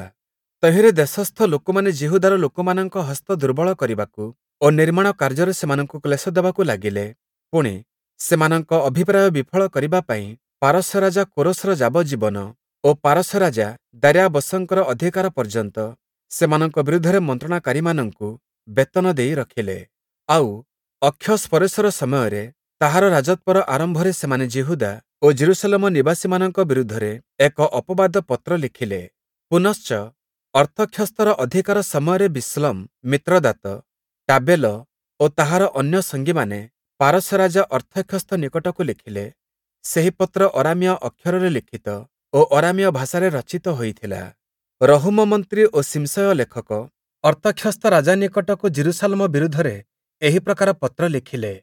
ତହିଁରେ ଦେଶସ୍ଥ ଲୋକମାନେ ଯିହୁଦାର ଲୋକମାନଙ୍କ ହସ୍ତ ଦୁର୍ବଳ କରିବାକୁ ଓ ନିର୍ମାଣ କାର୍ଯ୍ୟରେ ସେମାନଙ୍କୁ କ୍ଲେଶ ଦେବାକୁ ଲାଗିଲେ। ପୁଣି, ସେମାନଙ୍କ ଅଭିପ୍ରାୟ ବିଫଳ କରିବା ପାଇଁ ପାରସ୍ୟ ରାଜା କୋରସର ଯାବଜ୍ଜୀବନ ଓ ପାରସ୍ୟ ରାଜା ଦାର୍ୟାବସଙ୍କର ଅଧିକାର ପର୍ଯ୍ୟନ୍ତ ସେମାନଙ୍କ ବିରୁଦ୍ଧରେ ମନ୍ତ୍ରଣାକାରୀମାନଙ୍କୁ ବେତନ ଦେଇ ରଖିଲେ। ଆଉ ଅକ୍ଷସ୍ପରେଶର ସମୟରେ ତାହାର ରାଜତ୍ୱର ଆରମ୍ଭରେ ସେମାନେ ଯିହୁଦା ଓ ଯିରୂଶାଲମ ନିବାସୀମାନଙ୍କ ବିରୁଦ୍ଧରେ ଏକ ଅପବାଦ ପତ୍ର ଲେଖିଲେ। ପୁନଶ୍ଚ ଅର୍ତ୍ତକ୍ଷସ୍ତର ଅଧିକାର ସମୟରେ ବିଶ୍ଲମ, ମିତ୍ରଦାତ, ଟାବେଲ ଓ ତାହାର ଅନ୍ୟ ସଙ୍ଗୀମାନେ ପାରସ୍ୟ ରାଜା ଅର୍ତ୍ତକ୍ଷସ୍ତ ନିକଟକୁ ଲେଖିଲେ। ସେହି ପତ୍ର ଅରାମୀୟ ଅକ୍ଷରରେ ଲିଖିତ ଓ ଅରାମୀୟ ଭାଷାରେ ରଚିତ ହୋଇଥିଲା। ରହୂମ ମନ୍ତ୍ରୀ ଓ ଶିମ୍ଶୟ ଲେଖକ ଅର୍ତ୍ତକ୍ଷସ୍ତ ରାଜା ନିକଟକୁ ଯିରୂଶାଲମ ବିରୁଦ୍ଧରେ ଏହି ପ୍ରକାର ପତ୍ର ଲେଖିଲେ।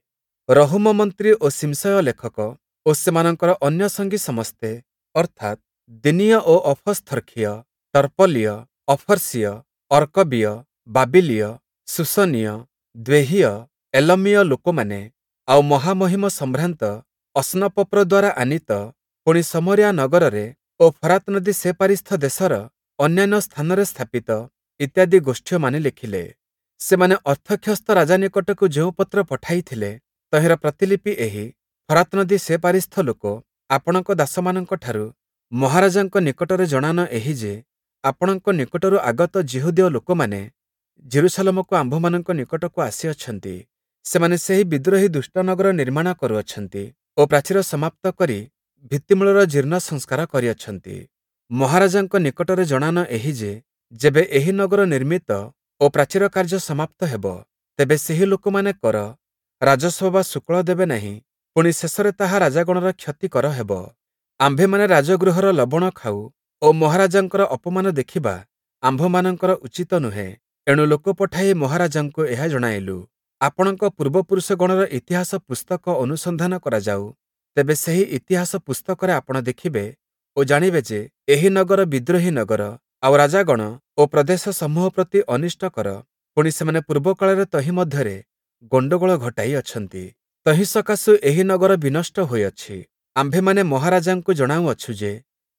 ରହୂମ ମନ୍ତ୍ରୀ ଓ ଶିମ୍ଶୟ ଲେଖକ ଓ ସେମାନଙ୍କର ଅନ୍ୟ ସଙ୍ଗୀ ସମସ୍ତେ, ଅର୍ଥାତ୍ ଦିନୀୟ ଓ ଅଫସ୍ଥର୍ଖୀୟ, ଟର୍ପଲୀୟ, ଅଫର୍ସୀୟ, ଅର୍କବୀୟ, ବାବିଲୀୟ, ଶୂଶନୀୟ, ଦ୍ୱେହୀୟ, ଏଲମୀୟ ଲୋକମାନେ, ଆଉ ମହାମହିମ ସମ୍ଭ୍ରାନ୍ତ ଅସ୍ନପପ୍ର ଦ୍ୱାରା ଆନୀତ, ପୁଣି ଶମରିୟା ନଗରରେ ଓ ଫରାତ୍ ନଦୀ ସେପାରିସ୍ଥ ଦେଶର ଅନ୍ୟାନ୍ୟ ସ୍ଥାନରେ ସ୍ଥାପିତ ଇତ୍ୟାଦି ଗୋଷ୍ଠୀୟମାନେ ଲେଖିଲେ। ସେମାନେ ଅର୍ତ୍ତକ୍ଷସ୍ତ ରାଜା ନିକଟକୁ ଯେଉଁ ପତ୍ର ପଠାଇଥିଲେ, ତହିଁର ପ୍ରତିଲିପି ଏହି: ଫରାତ୍ ନଦୀ ସେପାରିସ୍ଥ ଲୋକ ଆପଣଙ୍କ ଦାସମାନଙ୍କଠାରୁ ମହାରାଜାଙ୍କ ନିକଟରେ ଜଣାନ ଏହି ଯେ, ଆପଣଙ୍କ ନିକଟରୁ ଆଗତ ଯିହୁଦୀୟ ଲୋକମାନେ ଯିରୂଶାଲମକୁ ଆମ୍ଭମାନଙ୍କ ନିକଟକୁ ଆସିଅଛନ୍ତି। ସେମାନେ ସେହି ବିଦ୍ରୋହୀ ଦୁଷ୍ଟ ନଗର ନିର୍ମାଣ କରୁଅଛନ୍ତି ଓ ପ୍ରାଚୀର ସମାପ୍ତ କରି ଭିତ୍ତିମୂଳର ଜୀର୍ଣ୍ଣ ସଂସ୍କାର କରିଅଛନ୍ତି। ମହାରାଜାଙ୍କ ନିକଟରେ ଜଣାନ ଏହି ଯେ, ଯେବେ ଏହି ନଗର ନିର୍ମିତ ଓ ପ୍ରାଚୀର କାର୍ଯ୍ୟ ସମାପ୍ତ ହେବ, ତେବେ ସେହି ଲୋକମାନେ କର, ରାଜସ୍ୱ ବା ଶୁକ୍ଳ ଦେବେ ନାହିଁ, ପୁଣି ଶେଷରେ ତାହା ରାଜାଗଣର କ୍ଷତିକର ହେବ। ଆମ୍ଭେମାନେ ରାଜଗୃହର ଲବଣ ଖାଉ ଓ ମହାରାଜାଙ୍କର ଅପମାନ ଦେଖିବା ଆମ୍ଭମାନଙ୍କର ଉଚିତ ନୁହେଁ। ଏଣୁ ଲୋକ ପଠାଇ ମହାରାଜାଙ୍କୁ ଏହା ଜଣାଇଲୁ। ଆପଣଙ୍କ ପୂର୍ବପୁରୁଷଗଣର ଇତିହାସ ପୁସ୍ତକ ଅନୁସନ୍ଧାନ କରାଯାଉ, ତେବେ ସେହି ଇତିହାସ ପୁସ୍ତକରେ ଆପଣ ଦେଖିବେ ଓ ଜାଣିବେ ଯେ, ଏହି ନଗର ବିଦ୍ରୋହୀ ନଗର, ଆଉ ରାଜାଗଣ ଓ ପ୍ରଦେଶ ସମୂହ ପ୍ରତି ଅନିଷ୍ଟକର, ପୁଣି ସେମାନେ ପୂର୍ବକାଳରେ ତହିଁ ମଧ୍ୟରେ ଗଣ୍ଡଗୋଳ ଘଟାଇ ଅଛନ୍ତି। ତହିଁ ସକାଶୁ ଏହି ନଗର ବିନଷ୍ଟ ହୋଇଅଛି। ଆମ୍ଭେମାନେ ମହାରାଜାଙ୍କୁ ଜଣାଉଅଛୁ ଯେ,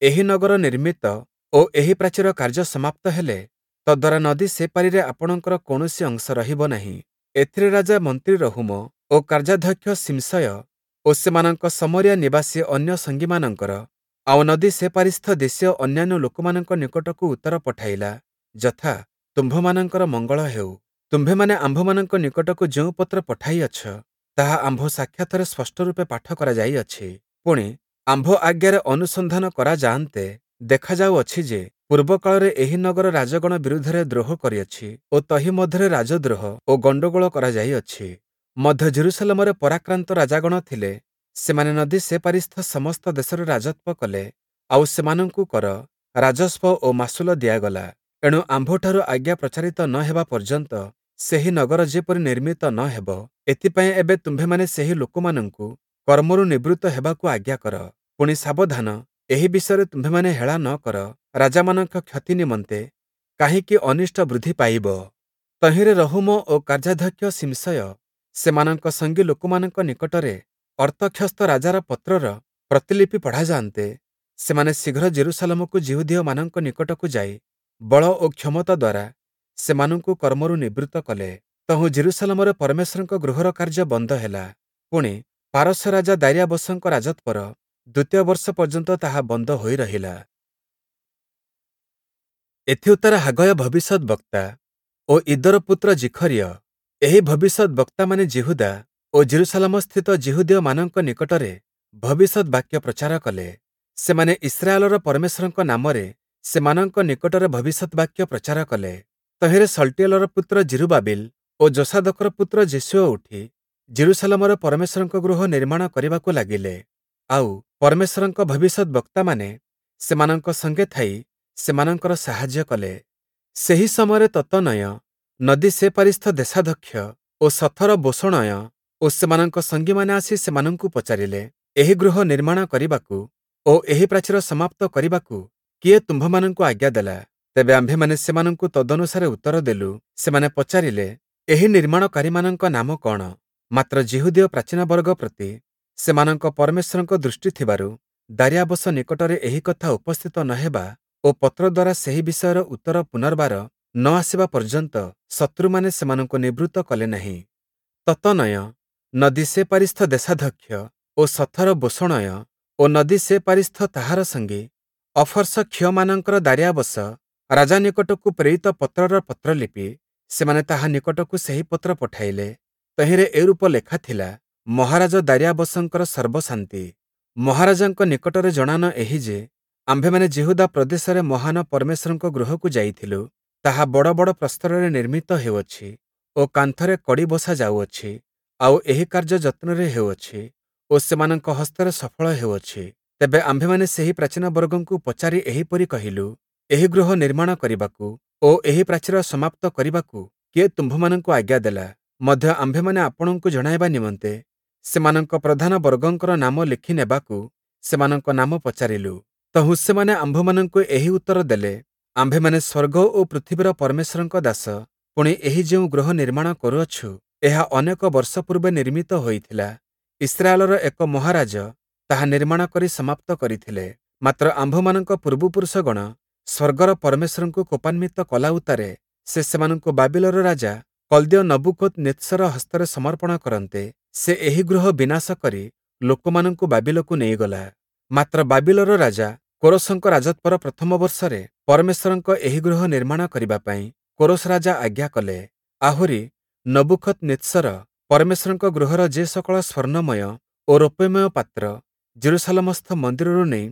ଏହି ନଗର ନିର୍ମିତ ଓ ଏହି ପ୍ରାଚୀର କାର୍ଯ୍ୟ ସମାପ୍ତ ହେଲେ ତଦ୍ଦ୍ୱାରା ନଦୀ ସେପାରିରେ ଆପଣଙ୍କର କୌଣସି ଅଂଶ ରହିବ ନାହିଁ। ଏଥିରେ ରାଜା ମନ୍ତ୍ରୀ ରହୂମ ଓ କାର୍ଯ୍ୟାଧ୍ୟକ୍ଷ ଶିମ୍ଶୟ ଓ ସେମାନଙ୍କ ଶମରିୟା ନିବାସୀ ଅନ୍ୟ ସଙ୍ଗୀମାନଙ୍କର ଆଉ ନଦୀ ସେପାରିସ୍ଥ ଦେଶୀୟ ଅନ୍ୟାନ୍ୟ ଲୋକମାନଙ୍କ ନିକଟକୁ ଉତ୍ତର ପଠାଇଲା, ଯଥା: ତୁମ୍ଭମାନଙ୍କର ମଙ୍ଗଳ ହେଉ। ତୁମ୍ଭେମାନେ ଆମ୍ଭମାନଙ୍କ ନିକଟକୁ ଯେଉଁ ପତ୍ର ପଠାଇଅଛ, ତାହା ଆମ୍ଭ ସାକ୍ଷାତରେ ସ୍ପଷ୍ଟ ରୂପେ ପାଠ କରାଯାଇଅଛି। ପୁଣି, ଆମ୍ଭ ଆଜ୍ଞାରେ ଅନୁସନ୍ଧାନ କରାଯାଆନ୍ତେ ଦେଖାଯାଉଅଛି ଯେ, ପୂର୍ବକାଳରେ ଏହି ନଗର ରାଜଗଣ ବିରୁଦ୍ଧରେ ଦ୍ରୋହ କରିଅଛି ଓ ତହିଁ ମଧ୍ୟରେ ରାଜଦ୍ରୋହ ଓ ଗଣ୍ଡଗୋଳ କରାଯାଇଅଛି। ମଧ୍ୟ ଯିରୂଶାଲମରେ ପରାକ୍ରାନ୍ତ ରାଜାଗଣ ଥିଲେ, ସେମାନେ ନଦୀ ସେପାରିସ୍ଥ ସମସ୍ତ ଦେଶରେ ରାଜତ୍ୱ କଲେ, ଆଉ ସେମାନଙ୍କୁ କର, ରାଜସ୍ୱ ଓ ମାସୁଲ ଦିଆଗଲା। ଏଣୁ ଆମ୍ଭଠାରୁ ଆଜ୍ଞା ପ୍ରଚାରିତ ନ ହେବା ପର୍ଯ୍ୟନ୍ତ ସେହି ନଗର ଯେପରି ନିର୍ମିତ ନ ହେବ, ଏଥିପାଇଁ ଏବେ ତୁମ୍ଭେମାନେ ସେହି ଲୋକମାନଙ୍କୁ କର୍ମରୁ ନିବୃତ୍ତ ହେବାକୁ ଆଜ୍ଞା କର। ପୁଣି ସାବଧାନ, ଏହି ବିଷୟରେ ତୁମ୍ଭେମାନେ ହେଳା ନ କର, ରାଜାମାନଙ୍କ କ୍ଷତି ନିମନ୍ତେ କାହିଁକି ଅନିଷ୍ଟ ବୃଦ୍ଧି ପାଇବ? ତହିଁରେ ରହୂମ ଓ କାର୍ଯ୍ୟାଧ୍ୟକ୍ଷ ଶିମ୍ଶୟ ସେମାନଙ୍କ ସଙ୍ଗୀ ଲୋକମାନଙ୍କ ନିକଟରେ ଅର୍ତ୍ତକ୍ଷସ୍ତ ରାଜାର ପତ୍ରର ପ୍ରତିଲିପି ପଢ଼ାଯାଆନ୍ତେ, ସେମାନେ ଶୀଘ୍ର ଯିରୂଶାଲମକୁ ଯିହୁଦୀୟମାନଙ୍କ ନିକଟକୁ ଯାଇ ବଳ ଓ କ୍ଷମତା ଦ୍ୱାରା ସେମାନଙ୍କୁ କର୍ମରୁ ନିବୃତ୍ତ କଲେ। ତହୁଁ ଯିରୂଶାଲମରେ ପରମେଶ୍ୱରଙ୍କ ଗୃହର କାର୍ଯ୍ୟ ବନ୍ଦ ହେଲା। ପୁଣି, ପାରସ୍ୟ ରାଜା ଦାର୍ୟାବସଙ୍କ ରାଜତ୍ୱର ଦ୍ୱିତୀୟ ବର୍ଷ ପର୍ଯ୍ୟନ୍ତ ତାହା ବନ୍ଦ ହୋଇ ରହିଲା। ଏଥିଉତ୍ତାରେ ହାଗୟ ଭବିଷ୍ୟଦ୍‌ବକ୍ତା ଓ ଇଦ୍ଦୋର ପୁତ୍ର ଜିଖରିୟ, ଏହି ଭବିଷ୍ୟଦ୍‌ବକ୍ତାମାନେ ଯିହୁଦା ଓ ଯିରୂଶାଲମସ୍ଥିତ ଯିହୁଦୀୟମାନଙ୍କ ନିକଟରେ ଭବିଷ୍ୟଦ୍‌ବାକ୍ୟ ପ୍ରଚାର କଲେ। ସେମାନେ ଇସ୍ରାଏଲର ପରମେଶ୍ୱରଙ୍କ ନାମରେ ସେମାନଙ୍କ ନିକଟରେ ଭବିଷ୍ୟଦ୍‌ବାକ୍ୟ ପ୍ରଚାର କଲେ। ତହିଁରେ ଶଲ୍ଟୀୟେଲର ପୁତ୍ର ଯିରୁବାବିଲ ଓ ଯୋଷାଦକର ପୁତ୍ର ଯେଶୂୟ ଉଠି ଯିରୂଶାଲମରେ ପରମେଶ୍ୱରଙ୍କ ଗୃହ ନିର୍ମାଣ କରିବାକୁ ଲାଗିଲେ। ଆଉ ପରମେଶ୍ୱରଙ୍କ ଭବିଷ୍ୟଦ୍‌ବକ୍ତାମାନେ ସେମାନଙ୍କ ସଙ୍ଗେ ଥାଇ ସେମାନଙ୍କର ସାହାଯ୍ୟ କଲେ। ସେହି ସମୟରେ ତତ୍ତନୟ, ନଦୀ ସେପାରିସ୍ଥ ଦେଶାଧ୍ୟକ୍ଷ ଓ ଶଥର-ବୋଷଣୟ ଓ ସେମାନଙ୍କ ସଙ୍ଗୀମାନେ ଆସି ସେମାନଙ୍କୁ ପଚାରିଲେ, ଏହି ଗୃହ ନିର୍ମାଣ କରିବାକୁ ଓ ଏହି ପ୍ରାଚୀର ସମାପ୍ତ କରିବାକୁ କିଏ ତୁମ୍ଭମାନଙ୍କୁ ଆଜ୍ଞା ଦେଲା? ତେବେ ଆମ୍ଭେମାନେ ସେମାନଙ୍କୁ ତଦନୁସାରେ ଉତ୍ତର ଦେଲୁ। ସେମାନେ ପଚାରିଲେ, ଏହି ନିର୍ମାଣକାରୀମାନଙ୍କ ନାମ କଅଣ? ମାତ୍ର ଯିହୁଦୀୟ ପ୍ରାଚୀନବର୍ଗ ପ୍ରତି ସେମାନଙ୍କ ପରମେଶ୍ୱରଙ୍କ ଦୃଷ୍ଟି ଥିବାରୁ ଦାରିୟାବସ ନିକଟରେ ଏହି କଥା ଉପସ୍ଥିତ ନ ହେବା ଓ ପତ୍ର ଦ୍ୱାରା ସେହି ବିଷୟର ଉତ୍ତର ପୁନର୍ବାର ନ ଆସିବା ପର୍ଯ୍ୟନ୍ତ ଶତ୍ରୁମାନେ ସେମାନଙ୍କୁ ନିବୃତ୍ତ କଲେ ନାହିଁ। ତତନୟ, ନଦୀ ସେପାରିସ୍ଥ ଦେଶାଧ୍ୟକ୍ଷ ଓ ଶଥର ବୋଷଣୟ ଓ ନଦୀ ସେପାରିସ୍ଥ ତାହାର ସଙ୍ଗୀ ଅଫର୍ସକ୍ଷୀୟମାନଙ୍କର ଦାରିୟାବସ ରାଜା ନିକଟକୁ ପ୍ରେରିତ ପତ୍ରର ପତ୍ରଲିପି, ସେମାନେ ତାହା ନିକଟକୁ ସେହି ପତ୍ର ପଠାଇଲେ। ତହିଁରେ ଏରୂପ ଲେଖା ଥିଲା, ମହାରାଜ ଦାରିୟାବସଙ୍କର ସର୍ବଶାନ୍ତି। ମହାରାଜାଙ୍କ ନିକଟରେ ଜଣାନ ଏହି ଯେ, ଆମ୍ଭେମାନେ ଯିହୁଦା ପ୍ରଦେଶରେ ମହାନ ପରମେଶ୍ୱରଙ୍କ ଗୃହକୁ ଯାଇଥିଲୁ। ତାହା ବଡ଼ ବଡ଼ ପ୍ରସ୍ତରରେ ନିର୍ମିତ ହେଉଅଛି ଓ କାନ୍ଥରେ କଡ଼ି ବସା ଯାଉଅଛି, ଆଉ ଏହି କାର୍ଯ୍ୟ ଯତ୍ନରେ ହେଉଅଛି ଓ ସେମାନଙ୍କ ହସ୍ତରେ ସଫଳ ହେଉଅଛି। ତେବେ ଆମ୍ଭେମାନେ ସେହି ପ୍ରାଚୀନବର୍ଗଙ୍କୁ ପଚାରି ଏହିପରି କହିଲୁ, ଏହି ଗୃହ ନିର୍ମାଣ କରିବାକୁ ଓ ଏହି ପ୍ରାଚୀର ସମାପ୍ତ କରିବାକୁ କିଏ ତୁମ୍ଭମାନଙ୍କୁ ଆଜ୍ଞା ଦେଲା? ମଧ୍ୟ ଆମ୍ଭେମାନେ ଆପଣଙ୍କୁ ଜଣାଇବା ନିମନ୍ତେ ସେମାନଙ୍କ ପ୍ରଧାନ ବର୍ଗଙ୍କର ନାମ ଲେଖି ନେବାକୁ ସେମାନଙ୍କ ନାମ ପଚାରିଲୁ। ତହୁଁ ସେମାନେ ଆମ୍ଭମାନଙ୍କୁ ଏହି ଉତ୍ତର ଦେଲେ, ଆମ୍ଭେମାନେ ସ୍ୱର୍ଗ ଓ ପୃଥିବୀର ପରମେଶ୍ୱରଙ୍କ ଦାସ, ପୁଣି ଏହି ଯେଉଁ ଗୃହ ନିର୍ମାଣ କରୁଅଛୁ, ଏହା ଅନେକ ବର୍ଷ ପୂର୍ବେ ନିର୍ମିତ ହୋଇଥିଲା। ଇସ୍ରାଏଲର ଏକ ମହାରାଜ ତାହା ନିର୍ମାଣ କରି ସମାପ୍ତ କରିଥିଲେ। ମାତ୍ର ଆମ୍ଭମାନଙ୍କ ପୂର୍ବପୁରୁଷଗଣ ସ୍ୱର୍ଗର ପରମେଶ୍ୱରଙ୍କୁ କୋପାନ୍ବିତ କଲା ଉତ୍ତାରେ ସେ ସେମାନଙ୍କୁ ବାବିଲର ରାଜା କଲ୍ଦୀୟ ନବୂଖଦନିତ୍ସର ହସ୍ତରେ ସମର୍ପଣ କରନ୍ତେ, ସେ ଏହି ଗୃହ ବିନାଶ କରି ଲୋକମାନଙ୍କୁ ବାବିଲକୁ ନେଇଗଲା। ମାତ୍ର ବାବିଲର ରାଜା କୋରସଙ୍କ ରାଜତ୍ୱର ପ୍ରଥମ ବର୍ଷରେ ପରମେଶ୍ୱରଙ୍କ ଏହି ଗୃହ ନିର୍ମାଣ କରିବା ପାଇଁ କୋରସ ରାଜା ଆଜ୍ଞା କଲେ। ଆହୁରି ନବୂଖଦନିତ୍ସର ପରମେଶ୍ୱରଙ୍କ ଗୃହର ଯେ ସକଳ ସ୍ୱର୍ଣ୍ଣମୟ ଓ ରୌପ୍ୟମୟ ପାତ୍ର ଯିରୂଶାଲମସ୍ଥ ମନ୍ଦିରରୁ ନେଇ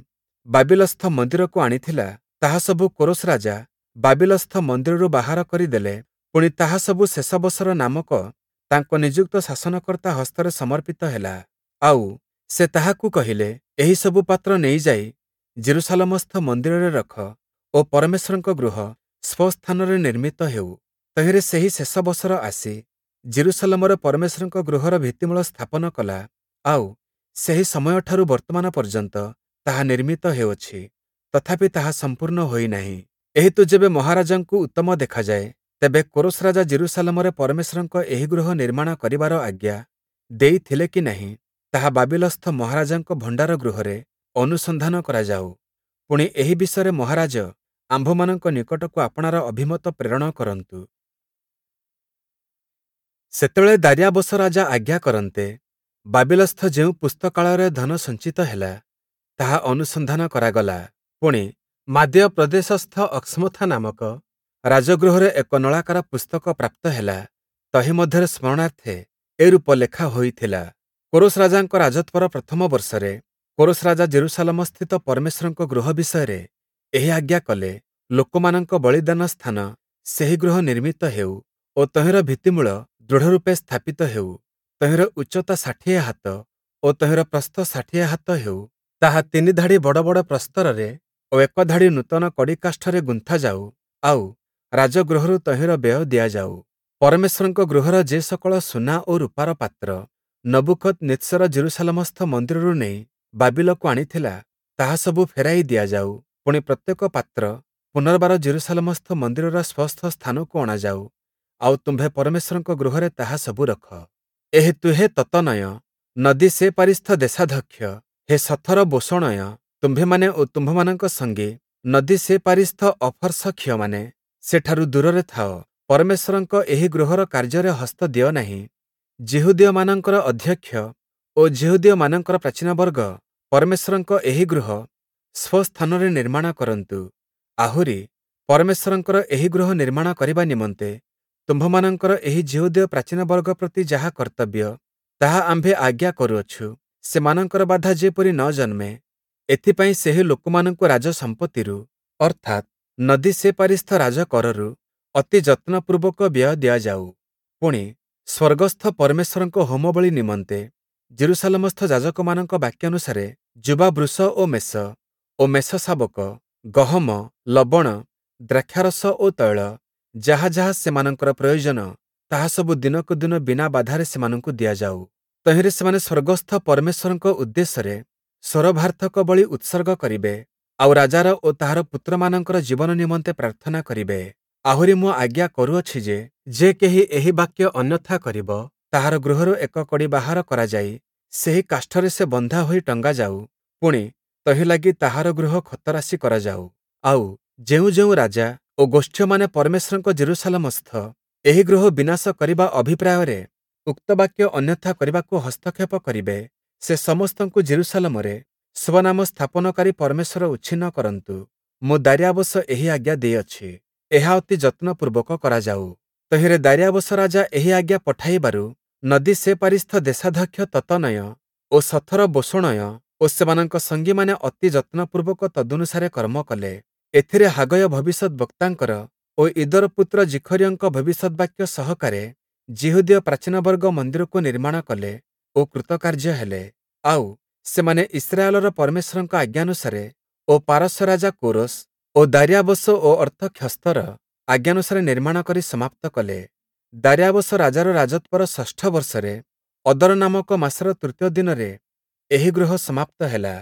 ବାବିଲସ୍ଥ ମନ୍ଦିରକୁ ଆଣିଥିଲା, ତାହା ସବୁ କୋରସ ରାଜା ବାବିଲସ୍ଥ ମନ୍ଦିରରୁ ବାହାର କରିଦେଲେ। ପୁଣି ତାହା ସବୁ ଶେଷବସର ନାମକ ତାଙ୍କ ନିଯୁକ୍ତ ଶାସନକର୍ତ୍ତା ହସ୍ତରେ ସମର୍ପିତ ହେଲା। ଆଉ ସେ ତାହାକୁ କହିଲେ, ଏହି ସବୁ ପାତ୍ର ନେଇଯାଇ ଯିରୂଶାଲମସ୍ଥ ମନ୍ଦିରରେ ରଖ ଓ ପରମେଶ୍ୱରଙ୍କ ଗୃହ ସ୍ୱସ୍ଥାନରେ ନିର୍ମିତ ହେଉ। ତହିଁରେ ସେହି ଶେଷବସର ଆସି ଯିରୂଶାଲମରେ ପରମେଶ୍ୱରଙ୍କ ଗୃହର ଭିତ୍ତିମୂଳ ସ୍ଥାପନ କଲା, ଆଉ ସେହି ସମୟଠାରୁ ବର୍ତ୍ତମାନ ପର୍ଯ୍ୟନ୍ତ ତାହା ନିର୍ମିତ ହେଉଅଛି, ତଥାପି ତାହା ସମ୍ପୂର୍ଣ୍ଣ ହୋଇନାହିଁ। ଏହେତୁ ଯେବେ ମହାରାଜାଙ୍କୁ ଉତ୍ତମ ଦେଖାଯାଏ, ତେବେ କୋରସ ରାଜା ଯିରୂଶାଲମରେ ପରମେଶ୍ୱରଙ୍କ ଏହି ଗୃହ ନିର୍ମାଣ କରିବାର ଆଜ୍ଞା ଦେଇଥିଲେ କି ନାହିଁ, ତାହା ବାବିଲସ୍ଥ ମହାରାଜାଙ୍କ ଭଣ୍ଡାର ଗୃହରେ ଅନୁସନ୍ଧାନ କରାଯାଉ। ପୁଣି ଏହି ବିଷୟରେ ମହାରାଜ ଆମ୍ଭମାନଙ୍କ ନିକଟକୁ ଆପଣାର ଅଭିମତ ପ୍ରେରଣ କରନ୍ତୁ। ସେତେବେଳେ ଦାରିୟାବସ ରାଜା ଆଜ୍ଞା କରନ୍ତେ, ବାବିଲସ୍ଥ ଯେଉଁ ପୁସ୍ତକାଳୟରେ ଧନ ସଞ୍ଚିତ ହେଲା, ତାହା ଅନୁସନ୍ଧାନ କରାଗଲା। ପୁଣି ମାଦୀୟ ପ୍ରଦେଶସ୍ଥ ଅକ୍ସ୍ମଥା ନାମକ ରାଜଗୃହରେ ଏକ ନଳାକାର ପୁସ୍ତକ ପ୍ରାପ୍ତ ହେଲା। ତହିଁ ମଧ୍ୟରେ ସ୍ମରଣାର୍ଥେ ଏରୂପ ଲେଖା ହୋଇଥିଲା, କୋରସ ରାଜାଙ୍କ ରାଜତ୍ୱର ପ୍ରଥମ ବର୍ଷରେ କୋରସ ରାଜା ଯିରୂଶାଲମସ୍ଥିତ ପରମେଶ୍ୱରଙ୍କ ଗୃହ ବିଷୟରେ ଏହି ଆଜ୍ଞା କଲେ, ଲୋକମାନଙ୍କ ବଳିଦାନ ସ୍ଥାନ ସେହି ଗୃହ ନିର୍ମିତ ହେଉ ଓ ତହିଁର ଭିତ୍ତିମୂଳ ଦୃଢ଼ରୂପେ ସ୍ଥାପିତ ହେଉ। ତହିଁର ଉଚ୍ଚତା ଷାଠିଏ ହାତ ଓ ତହିଁର ପ୍ରସ୍ଥ ଷାଠିଏ ହାତ ହେଉ। ତାହା ତିନି ଧାଡ଼ି ବଡ଼ ବଡ଼ ପ୍ରସ୍ତରରେ ଓ ଏକ ଧାଡ଼ି ନୂତନ କଡ଼ିକାଷ୍ଠରେ ଗୁନ୍ଥାଯାଉ, ଆଉ ରାଜଗୃହରୁ ତହିଁର ବ୍ୟୟ ଦିଆଯାଉ। ପରମେଶ୍ୱରଙ୍କ ଗୃହର ଯେ ସକଳ ସୁନା ଓ ରୂପାର ପାତ୍ର ନବୂଖଦନିତ୍ସର ଯିରୂଶାଲମସ୍ଥ ମନ୍ଦିରରୁ ନେଇ ବାବିଲକୁ ଆଣିଥିଲା, ତାହା ସବୁ ଫେରାଇ ଦିଆଯାଉ। ପୁଣି ପ୍ରତ୍ୟେକ ପାତ୍ର ପୁନର୍ବାର ଯିରୂଶାଲମସ୍ଥ ମନ୍ଦିରର ସ୍ୱସ୍ଥ ସ୍ଥାନକୁ ଅଣାଯାଉ, ଆଉ ତୁମ୍ଭେ ପରମେଶ୍ୱରଙ୍କ ଗୃହରେ ତାହା ସବୁ ରଖ। ଏହେତୁ ହେ ତତନୟ, ନଦୀ ସେପାରିସ୍ଥ ଦେଶାଧ୍ୟକ୍ଷ, ହେ ଶଥର ବୋଷଣୟ, ତୁମ୍ଭେମାନେ ଓ ତୁମ୍ଭମାନଙ୍କ ସଙ୍ଗୀ ନଦୀ ସେପାରିସ୍ଥ ଅଫର୍ସକ୍ଷୀୟମାନେ ସେଠାରୁ ଦୂରରେ ଥାଅ। ପରମେଶ୍ୱରଙ୍କ ଏହି ଗୃହର କାର୍ଯ୍ୟରେ ହସ୍ତ ଦିଅ ନାହିଁ। ଯିହୁଦୀୟମାନଙ୍କର ଅଧ୍ୟକ୍ଷ ଓ ଯିହୁଦୀୟମାନଙ୍କର ପ୍ରାଚୀନବର୍ଗ ପରମେଶ୍ୱରଙ୍କ ଏହି ଗୃହ ସ୍ୱସ୍ଥାନରେ ନିର୍ମାଣ କରନ୍ତୁ। ଆହୁରି ପରମେଶ୍ୱରଙ୍କର ଏହି ଗୃହ ନିର୍ମାଣ କରିବା ନିମନ୍ତେ ତୁମ୍ଭମାନଙ୍କର ଏହି ଯିହୁଦୀୟ ପ୍ରାଚୀନବର୍ଗ ପ୍ରତି ଯାହା କର୍ତ୍ତବ୍ୟ, ତାହା ଆମ୍ଭେ ଆଜ୍ଞା କରୁଅଛୁ। ସେମାନଙ୍କର ବାଧା ଯେପରି ନ ଜନ୍ମେ, ଏଥିପାଇଁ ସେହି ଲୋକମାନଙ୍କୁ ରାଜସମ୍ପତ୍ତିରୁ, ଅର୍ଥାତ୍ ନଦୀ ସେପାରିସ୍ଥ ରାଜକରରୁ ଅତି ଯତ୍ନପୂର୍ବକ ବ୍ୟୟ ଦିଆଯାଉ। ପୁଣି ସ୍ୱର୍ଗସ୍ଥ ପରମେଶ୍ୱରଙ୍କ ହୋମବଳି ନିମନ୍ତେ ଯିରୂଶାଲମସ୍ଥ ଯାଜକମାନଙ୍କ ବାକ୍ୟାନୁସାରେ ଯୁବା ବୃଷ ଓ ମେଷ ଓ ମେଷଶାବକ, ଗହମ, ଲବଣ, ଦ୍ରାକ୍ଷାରସ ଓ ତୈଳ, ଯାହା ଯାହା ସେମାନଙ୍କର ପ୍ରୟୋଜନ, ତାହା ସବୁ ଦିନକୁ ଦିନ ବିନା ବାଧାରେ ସେମାନଙ୍କୁ ଦିଆଯାଉ। ତହିଁରେ ସେମାନେ ସ୍ୱର୍ଗସ୍ଥ ପରମେଶ୍ୱରଙ୍କ ଉଦ୍ଦେଶ୍ୟରେ ସ୍ୱରଭାର୍ଥକ ବଳି ଉତ୍ସର୍ଗ କରିବେ, ଆଉ ରାଜାର ଓ ତାହାର ପୁତ୍ରମାନଙ୍କର ଜୀବନ ନିମନ୍ତେ ପ୍ରାର୍ଥନା କରିବେ। ଆହୁରି ମୁଁ ଆଜ୍ଞା କରୁଅଛି ଯେ, ଯେ କେହି ଏହି ବାକ୍ୟ ଅନ୍ୟଥା କରିବ, ତାହାର ଗୃହରୁ ଏକ କଡ଼ି ବାହାର କରାଯାଇ ସେହି କାଷ୍ଠରେ ସେ ବନ୍ଧା ହୋଇ ଟଙ୍ଗାଯାଉ, ପୁଣି ତହିଁ ଲାଗି ତାହାର ଗୃହ ଖତରାଶି କରାଯାଉ। ଆଉ ଯେଉଁ ଯେଉଁ ରାଜା ଓ ଗୋଷ୍ଠୀୟମାନେ ପରମେଶ୍ୱରଙ୍କ ଯିରୂଶାଲମସ୍ଥ ଏହି ଗୃହ ବିନାଶ କରିବା ଅଭିପ୍ରାୟରେ ଉକ୍ତ ବାକ୍ୟ ଅନ୍ୟଥା କରିବାକୁ ହସ୍ତକ୍ଷେପ କରିବେ, ସେ ସମସ୍ତଙ୍କୁ ଯିରୂଶାଲମରେ ସ୍ୱନାମ ସ୍ଥାପନକାରୀ ପରମେଶ୍ୱର ଉଚ୍ଛିନ୍ନ କରନ୍ତୁ। ମୁଁ ଦାରିୟାବସ ଏହି ଆଜ୍ଞା ଦେଇଅଛି, ଏହା ଅତି ଯତ୍ନପୂର୍ବକ କରାଯାଉ। ତହିଁରେ ଦାରିୟାବସ ରାଜା ଏହି ଆଜ୍ଞା ପଠାଇବାରୁ ନଦୀ ସେପାରିସ୍ଥ ଦେଶାଧ୍ୟକ୍ଷ ତତ୍ତନୟ ଓ ସଥର ବୋଷଣୟ ଓ ସେମାନଙ୍କ ସଙ୍ଗୀମାନେ ଅତି ଯତ୍ନପୂର୍ବକ ତଦନୁସାରେ କର୍ମ କଲେ। ଏଥିରେ ହାଗୟ ଭବିଷ୍ୟଦ୍‌ବକ୍ତାଙ୍କର ଓ ଇଦୋର ପୁତ୍ର ଜିଖରିୟଙ୍କ ଭବିଷ୍ୟଦ୍‌ବାକ୍ୟ ସହକାରେ ଯିହୁଦୀୟ ପ୍ରାଚୀନବର୍ଗ ମନ୍ଦିରକୁ ନିର୍ମାଣ କଲେ ଓ କୃତକାର୍ଯ୍ୟ ହେଲେ। ଆଉ ସେମାନେ ଇସ୍ରାଏଲର ପରମେଶ୍ୱରଙ୍କ ଆଜ୍ଞାନୁସାରେ ଓ ପାରସ୍ୟ ରାଜା କୋରସ୍ ଓ ଦାରିୟାବସ ଓ ଅର୍ତ୍ତକ୍ଷସ୍ତର ଆଜ୍ଞାନୁସାରେ ନିର୍ମାଣ କରି ସମାପ୍ତ କଲେ। ଦାରିୟାବସ ରାଜାର ରାଜତ୍ୱର ଷଷ୍ଠ ବର୍ଷରେ ଅଦର ନାମକ ମାସର ତୃତୀୟ ଦିନରେ ଏହି ଗୃହ ସମାପ୍ତ ହେଲା।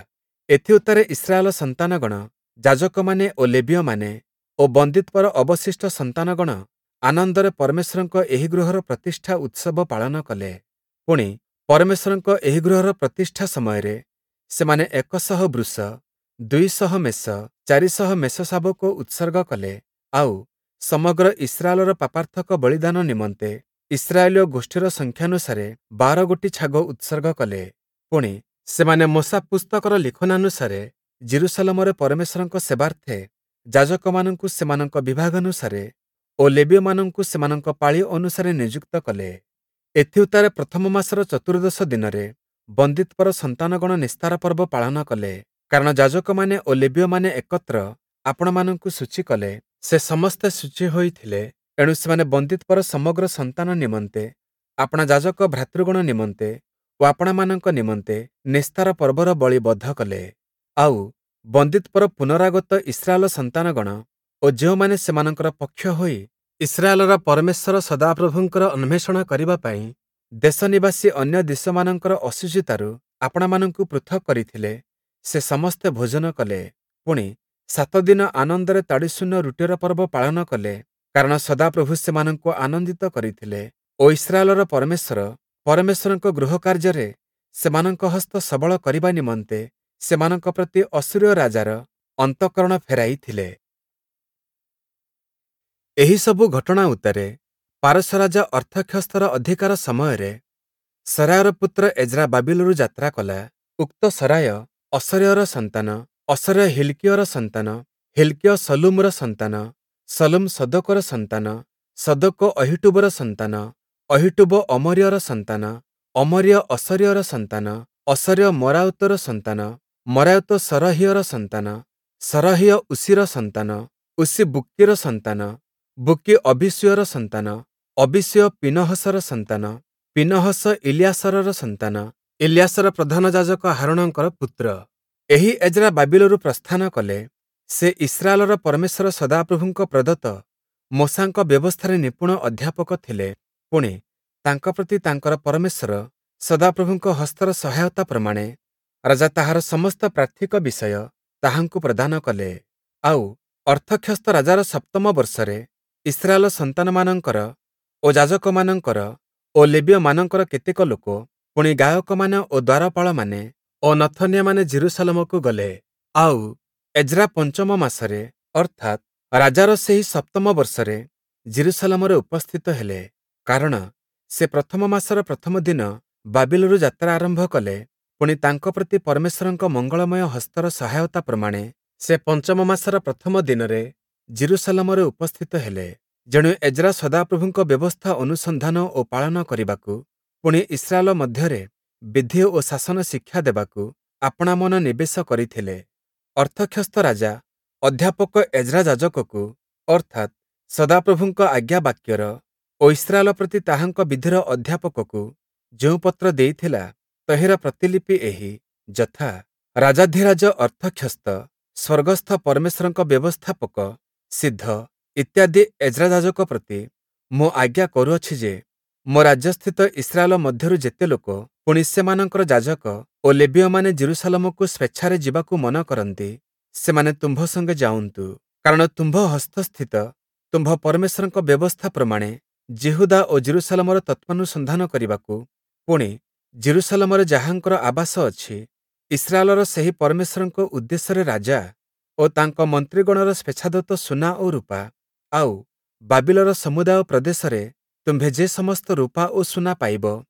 ଏଥିଉତ୍ତାରେ ଇସ୍ରାଏଲ ସନ୍ତାନଗଣ, ଯାଜକମାନେ ଓ ଲେବୀୟମାନେ ଓ ବନ୍ଦୀତ୍ୱର ଅବଶିଷ୍ଟ ସନ୍ତାନଗଣ ଆନନ୍ଦରେ ପରମେଶ୍ୱରଙ୍କ ଏହି ଗୃହର ପ୍ରତିଷ୍ଠା ଉତ୍ସବ ପାଳନ କଲେ। ପୁଣି ପରମେଶ୍ୱରଙ୍କ ଏହି ଗୃହର ପ୍ରତିଷ୍ଠା ସମୟରେ ସେମାନେ ଏକ ଶହ ବୃଷ, ଦୁଇ ଶହ ମେଷ, ଚାରି ଶହ ମେଷଶାବକ ଉତ୍ସର୍ଗ କଲେ। ଆଉ ସମଗ୍ର ଇସ୍ରାଏଲର ପାପାର୍ଥକ ବଳିଦାନ ନିମନ୍ତେ ଇସ୍ରାଏଲୀୟ ଗୋଷ୍ଠୀର ସଂଖ୍ୟାନୁସାରେ ବାର ଗୋଟି ଛାଗ ଉତ୍ସର୍ଗ କଲେ। ପୁଣି ସେମାନେ ମୋଶା ପୁସ୍ତକର ଲିଖନାନୁସାରେ ଯିରୂଶାଲମରେ ପରମେଶ୍ୱରଙ୍କ ସେବାର୍ଥେ ଯାଜକମାନଙ୍କୁ ସେମାନଙ୍କ ବିଭାଗାନୁସାରେ ଓ ଲେବୀୟମାନଙ୍କୁ ସେମାନଙ୍କ ପାଳି ଅନୁସାରେ ନିଯୁକ୍ତ କଲେ। ଏଥିଉତ୍ତାରେ ପ୍ରଥମ ମାସର ଚତୁର୍ଦ୍ଦଶ ଦିନରେ ବନ୍ଦୀତ୍ୱର ସନ୍ତାନଗଣ ନିସ୍ତାର ପର୍ବ ପାଳନ କଲେ, କାରଣ ଯାଜକମାନେ ଓ ଲେବୀୟମାନେ ଏକତ୍ର ଆପଣାମାନଙ୍କୁ ଶୁଚି କଲେ, ସେ ସମସ୍ତେ ଶୁଚି ହୋଇଥିଲେ। ଏଣୁ ସେମାନେ ବନ୍ଦୀତ୍ୱର ସମଗ୍ର ସନ୍ତାନ ନିମନ୍ତେ, ଆପଣା ଯାଜକ ଭ୍ରାତୃଗଣ ନିମନ୍ତେ ଓ ଆପଣାମାନଙ୍କ ନିମନ୍ତେ ନିସ୍ତାର ପର୍ବର ବଳି ବଧ କଲେ। ଆଉ ବନ୍ଦୀତ୍ୱର ପୁନରାଗତ ଇସ୍ରାଏଲ ସନ୍ତାନଗଣ ଓ ଯେଉଁମାନେ ସେମାନଙ୍କର ପକ୍ଷ ହୋଇ ଇସ୍ରାଏଲର ପରମେଶ୍ୱର ସଦାପ୍ରଭୁଙ୍କର ଅନ୍ୱେଷଣ କରିବା ପାଇଁ ଦେଶ ନିବାସୀ ଅନ୍ୟ ଦେଶମାନଙ୍କର ଅଶୁଚିତାରୁ ଆପଣାମାନଙ୍କୁ ପୃଥକ୍ କରିଥିଲେ, ସେ ସମସ୍ତେ ଭୋଜନ କଲେ। ପୁଣି ସାତ ଦିନ ଆନନ୍ଦରେ ତାଡ଼ିଶୂନ୍ୟ ରୁଟିର ପର୍ବ ପାଳନ କଲେ, କାରଣ ସଦାପ୍ରଭୁ ସେମାନଙ୍କୁ ଆନନ୍ଦିତ କରିଥିଲେ ଓ ଇସ୍ରାଏଲର ପରମେଶ୍ୱର ପରମେଶ୍ୱରଙ୍କ ଗୃହ କାର୍ଯ୍ୟରେ ସେମାନଙ୍କ ହସ୍ତ ସବଳ କରିବା ନିମନ୍ତେ ସେମାନଙ୍କ ପ୍ରତି ଅଶୂରୀୟ ରାଜାର ଅନ୍ତଃକରଣ ଫେରାଇଥିଲେ। ଏହିସବୁ ଘଟଣା ଉତ୍ତାରେ ପାରସ୍ୟ ରାଜା ଅର୍ତ୍ତକ୍ଷସ୍ତର ଅଧିକାର ସମୟରେ ସରାୟର ପୁତ୍ର ଏଜ୍ରା ବାବିଲରୁ ଯାତ୍ରା କଲା। ଉକ୍ତ ସରାୟ ଅସର୍ୟର ସନ୍ତାନ, ଅସର୍ୟ ହିଲ୍କିୟର ସନ୍ତାନ, ହିଲ୍କିୟ ଶଲ୍ଲୁମର ସନ୍ତାନ, ଶଲ୍ଲୁମ ସଦୋକର ସନ୍ତାନ, ସଦୋକ ଅହୀଟୂବର ସନ୍ତାନ, ଅହୀଟୂବ ଅମରିୟର ସନ୍ତାନ, ଅମରିୟ ଅସର୍ୟର ସନ୍ତାନ, ଅସର୍ୟ ମରାୟୋତର ସନ୍ତାନ, ମରାୟୋତ ସରହୀୟର ସନ୍ତାନ, ସରହୀୟ ଉଷିର ସନ୍ତାନ, ଉଷି ବୁକ୍କିର ସନ୍ତାନ, ବୁକ୍କି ଅବୀଶୂୟର ସନ୍ତାନ, ଅବୀଶୂୟ ପୀନହସର ସନ୍ତାନ, ପୀନହସ ଇଲିୟାସରର ସନ୍ତାନ, ଇଲିୟାସର ପ୍ରଧାନ ଯାଜକ ହାରୋଣଙ୍କର ପୁତ୍ର। ଏହି ଏଜ୍ରା ବାବିଲରୁ ପ୍ରସ୍ଥାନ କଲେ। ସେ ଇସ୍ରାଏଲର ପରମେଶ୍ୱର ସଦାପ୍ରଭୁଙ୍କ ପ୍ରଦତ୍ତ ମୋଶାଙ୍କ ବ୍ୟବସ୍ଥାରେ ନିପୁଣ ଅଧ୍ୟାପକ ଥିଲେ। ପୁଣି ତାଙ୍କ ପ୍ରତି ତାଙ୍କର ପରମେଶ୍ୱର ସଦାପ୍ରଭୁଙ୍କ ହସ୍ତର ସହାୟତା ପ୍ରମାଣେ ରାଜା ତାହାର ସମସ୍ତ ପ୍ରାର୍ଥିକ ବିଷୟ ତାହାଙ୍କୁ ପ୍ରଦାନ କଲେ। ଆଉ ଅର୍ତ୍ତକ୍ଷସ୍ତ ରାଜାର ସପ୍ତମ ବର୍ଷରେ ଇସ୍ରାଏଲ ସନ୍ତାନମାନଙ୍କର ଓ ଯାଜକମାନଙ୍କର ଓ ଲେବୀୟମାନଙ୍କର କେତେକ ଲୋକ, ପୁଣି ଗାୟକମାନେ ଓ ଦ୍ୱାରପାଳମାନେ ଓ ନଥନୀୟମାନେ ଯିରୂଶାଲମକୁ ଗଲେ। ଆଉ ଏଜ୍ରା ପଞ୍ଚମ ମାସରେ ଅର୍ଥାତ୍ ରାଜାର ସେହି ସପ୍ତମ ବର୍ଷରେ ଯିରୂଶାଲମରେ ଉପସ୍ଥିତ ହେଲେ, କାରଣ ସେ ପ୍ରଥମ ମାସର ପ୍ରଥମ ଦିନ ବାବିଲରୁ ଯାତ୍ରା ଆରମ୍ଭ କଲେ। ପୁଣି ତାଙ୍କ ପ୍ରତି ପରମେଶ୍ୱରଙ୍କ ମଙ୍ଗଳମୟ ହସ୍ତର ସହାୟତା ପ୍ରମାଣେ ସେ ପଞ୍ଚମ ମାସର ପ୍ରଥମ ଦିନରେ ଯିରୂଶାଲମରେ ଉପସ୍ଥିତ ହେଲେ। ଯେଣୁ ଏଜ୍ରା ସଦାପ୍ରଭୁଙ୍କ ବ୍ୟବସ୍ଥା ଅନୁସନ୍ଧାନ ଓ ପାଳନ କରିବାକୁ, ପୁଣି ଇସ୍ରାଏଲ ମଧ୍ୟରେ ବିଧି ଓ ଶାସନ ଶିକ୍ଷା ଦେବାକୁ ଆପଣା ମନ ନିବେଶ କରିଥିଲେ। ଅର୍ତ୍ତକ୍ଷସ୍ତ ରାଜା ଅଧ୍ୟାପକ ଏଜ୍ରା ଯାଜକକୁ, ଅର୍ଥାତ୍ ସଦାପ୍ରଭୁଙ୍କ ଆଜ୍ଞାବାକ୍ୟର ଓ ଇସ୍ରାଏଲ ପ୍ରତି ତାହାଙ୍କ ବିଧିର ଅଧ୍ୟାପକକୁ ଯେଉଁ ପତ୍ର ଦେଇଥିଲା, ତହିଁର ପ୍ରତିଲିପି ଏହି, ଯଥା: ରାଜାଧିରାଜ ଅର୍ତ୍ତକ୍ଷସ୍ତ, ସ୍ୱର୍ଗସ୍ଥ ପରମେଶ୍ୱରଙ୍କ ବ୍ୟବସ୍ଥାପକ ସିଦ୍ଧ ଇତ୍ୟାଦି ଏଜ୍ରା ଯାଜକ ପ୍ରତି ମୁଁ ଆଜ୍ଞା କରୁଅଛି ଯେ, ମୋ ରାଜ୍ୟସ୍ଥିତ ଇସ୍ରାଏଲ ମଧ୍ୟରୁ ଯେତେ ଲୋକ ପୁଣି ସେମାନଙ୍କର ଯାଜକ ଓ ଲେବୀୟମାନେ ଯିରୂଶାଲମକୁ ସ୍ୱେଚ୍ଛାରେ ଯିବାକୁ ମନ କରନ୍ତି, ସେମାନେ ତୁମ୍ଭ ସଙ୍ଗେ ଯାଉନ୍ତୁ। କାରଣ ତୁମ୍ଭ ହସ୍ତସ୍ଥିତ ତୁମ୍ଭ ପରମେଶ୍ୱରଙ୍କ ବ୍ୟବସ୍ଥା ପ୍ରମାଣେ ଯିହୁଦା ଓ ଯିରୂଶାଲମର ତତ୍ତ୍ୱାନୁସନ୍ଧାନ କରିବାକୁ, ପୁଣି ଯିରୂଶାଲମରେ ଯାହାଙ୍କର ଆବାସ ଅଛି, ଇସ୍ରାଏଲର ସେହି ପରମେଶ୍ୱରଙ୍କ ଉଦ୍ଦେଶ୍ୟରେ ରାଜା ଓ ତାଙ୍କ ମନ୍ତ୍ରୀଗଣର ସ୍ୱେଚ୍ଛାଦତ୍ତ ସୁନା ଓ ରୂପା, ଆଉ ବାବିଲର ସମୁଦାୟ ପ୍ରଦେଶରେ ତୁମ୍ଭେ ଯେ ସମସ୍ତ ରୂପା ଓ ସୁନା ପାଇବ,